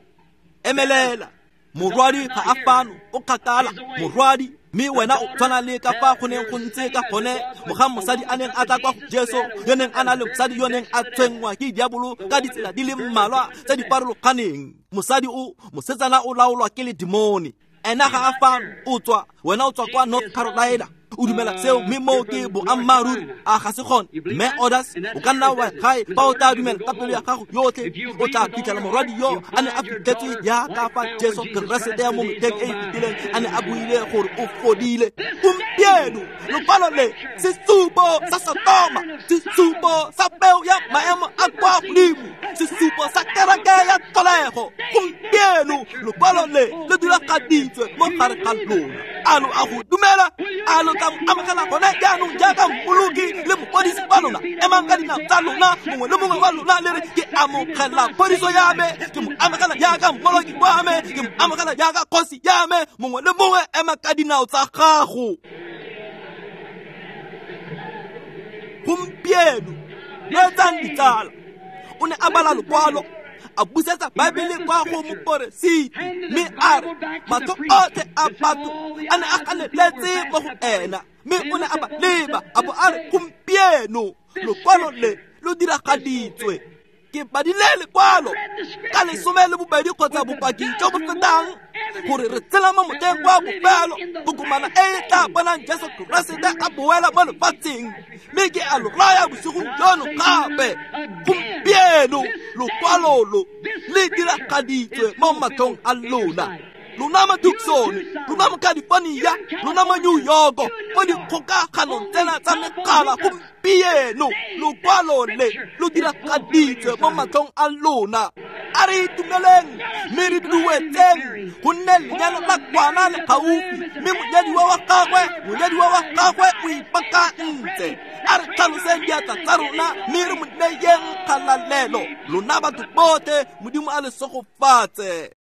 Emelela, morwadi ga a fano, o kgakala morwadi. Mme wena o tshwana le ka fa go neng go ntse ka gone mogang mosadi a neng a tla kwa go Jesu, yo neng a na le mosadi yo neng a tshwenngwa ke diabolo ka ditsela di le mmalwa tse di farologaneng. Mosadi o, mosetsana o laolwa ke ledimone. Ena ga a fano, o tswa, wena o tswa kwa North Carolina. O dumela seo, mme moo ke boammaaruri. A ga se gone? Mme Orders, o ka nna wa gae fa o tla dumela ka pelo ya gago yotlhe, o tla fitlhela morwadi yo a ne a fitlhetswe jaaka fa Jesu Keresete ya mo metlheng e e fetileng a ne a buile gore o fodile. Gompieno lokwalo le, sesupo sa Sodoma, sesupo sa peo ya maemo a kwa godimo, sesupo sa kereke ya tlholego. Gompieno lokwalo le le diragaditswe mo gare ga lona. A lo a go dumela? A lo tla amogela gone jaanong jaaka mmoloki le mofodisi wa lona? Emang ka dinao tsa lona, mongwe le mongwe wa lona le re, ke amogela phodiso ya me, ke mo amogela jaaka mmoloki wa me, ke mo amogela jaaka kgosi ya me. Mongwe le mongwe ema ka dinao tsa gago. Gompieno reetsang ditsala. O ne a bala lokwalo, a busetsa Baebele kwa go moporesiti, mme a re matlho otlhe a batho a ne a ganeletse mo go ena. Mme o ne a ba leba, a bo a re, gompieno lokwalo le lo diragaditswe. Ke badile lekwalo ka 12 kgotsa bopaki jo bo fetang gore re tshela mo motlheng wa bofelo, kokomana e e tla bonang Jesu Keresete a boela mo lefatsheng. Mme ke a lo raya bosigong jono gape, gompieno lokwalo lo le diragaditswe mo matlhong a lona. Lona ma Tucson, lona mo California, lona mo New York, mo dikgokaganong tsena tsa megala, gompieno lokwalo le lo diragaditswe mo matlhong a lona. A re itumeleng mme re duetseng, gonne lenyalo la kwana le gaufi, mme monyadiwa wa gagwe o ipaakantse. A re tlhaloseng diatla tsa rona mme re mo neyeng kgalalelo. Lona batho botlhe, Modimo a le segofatse.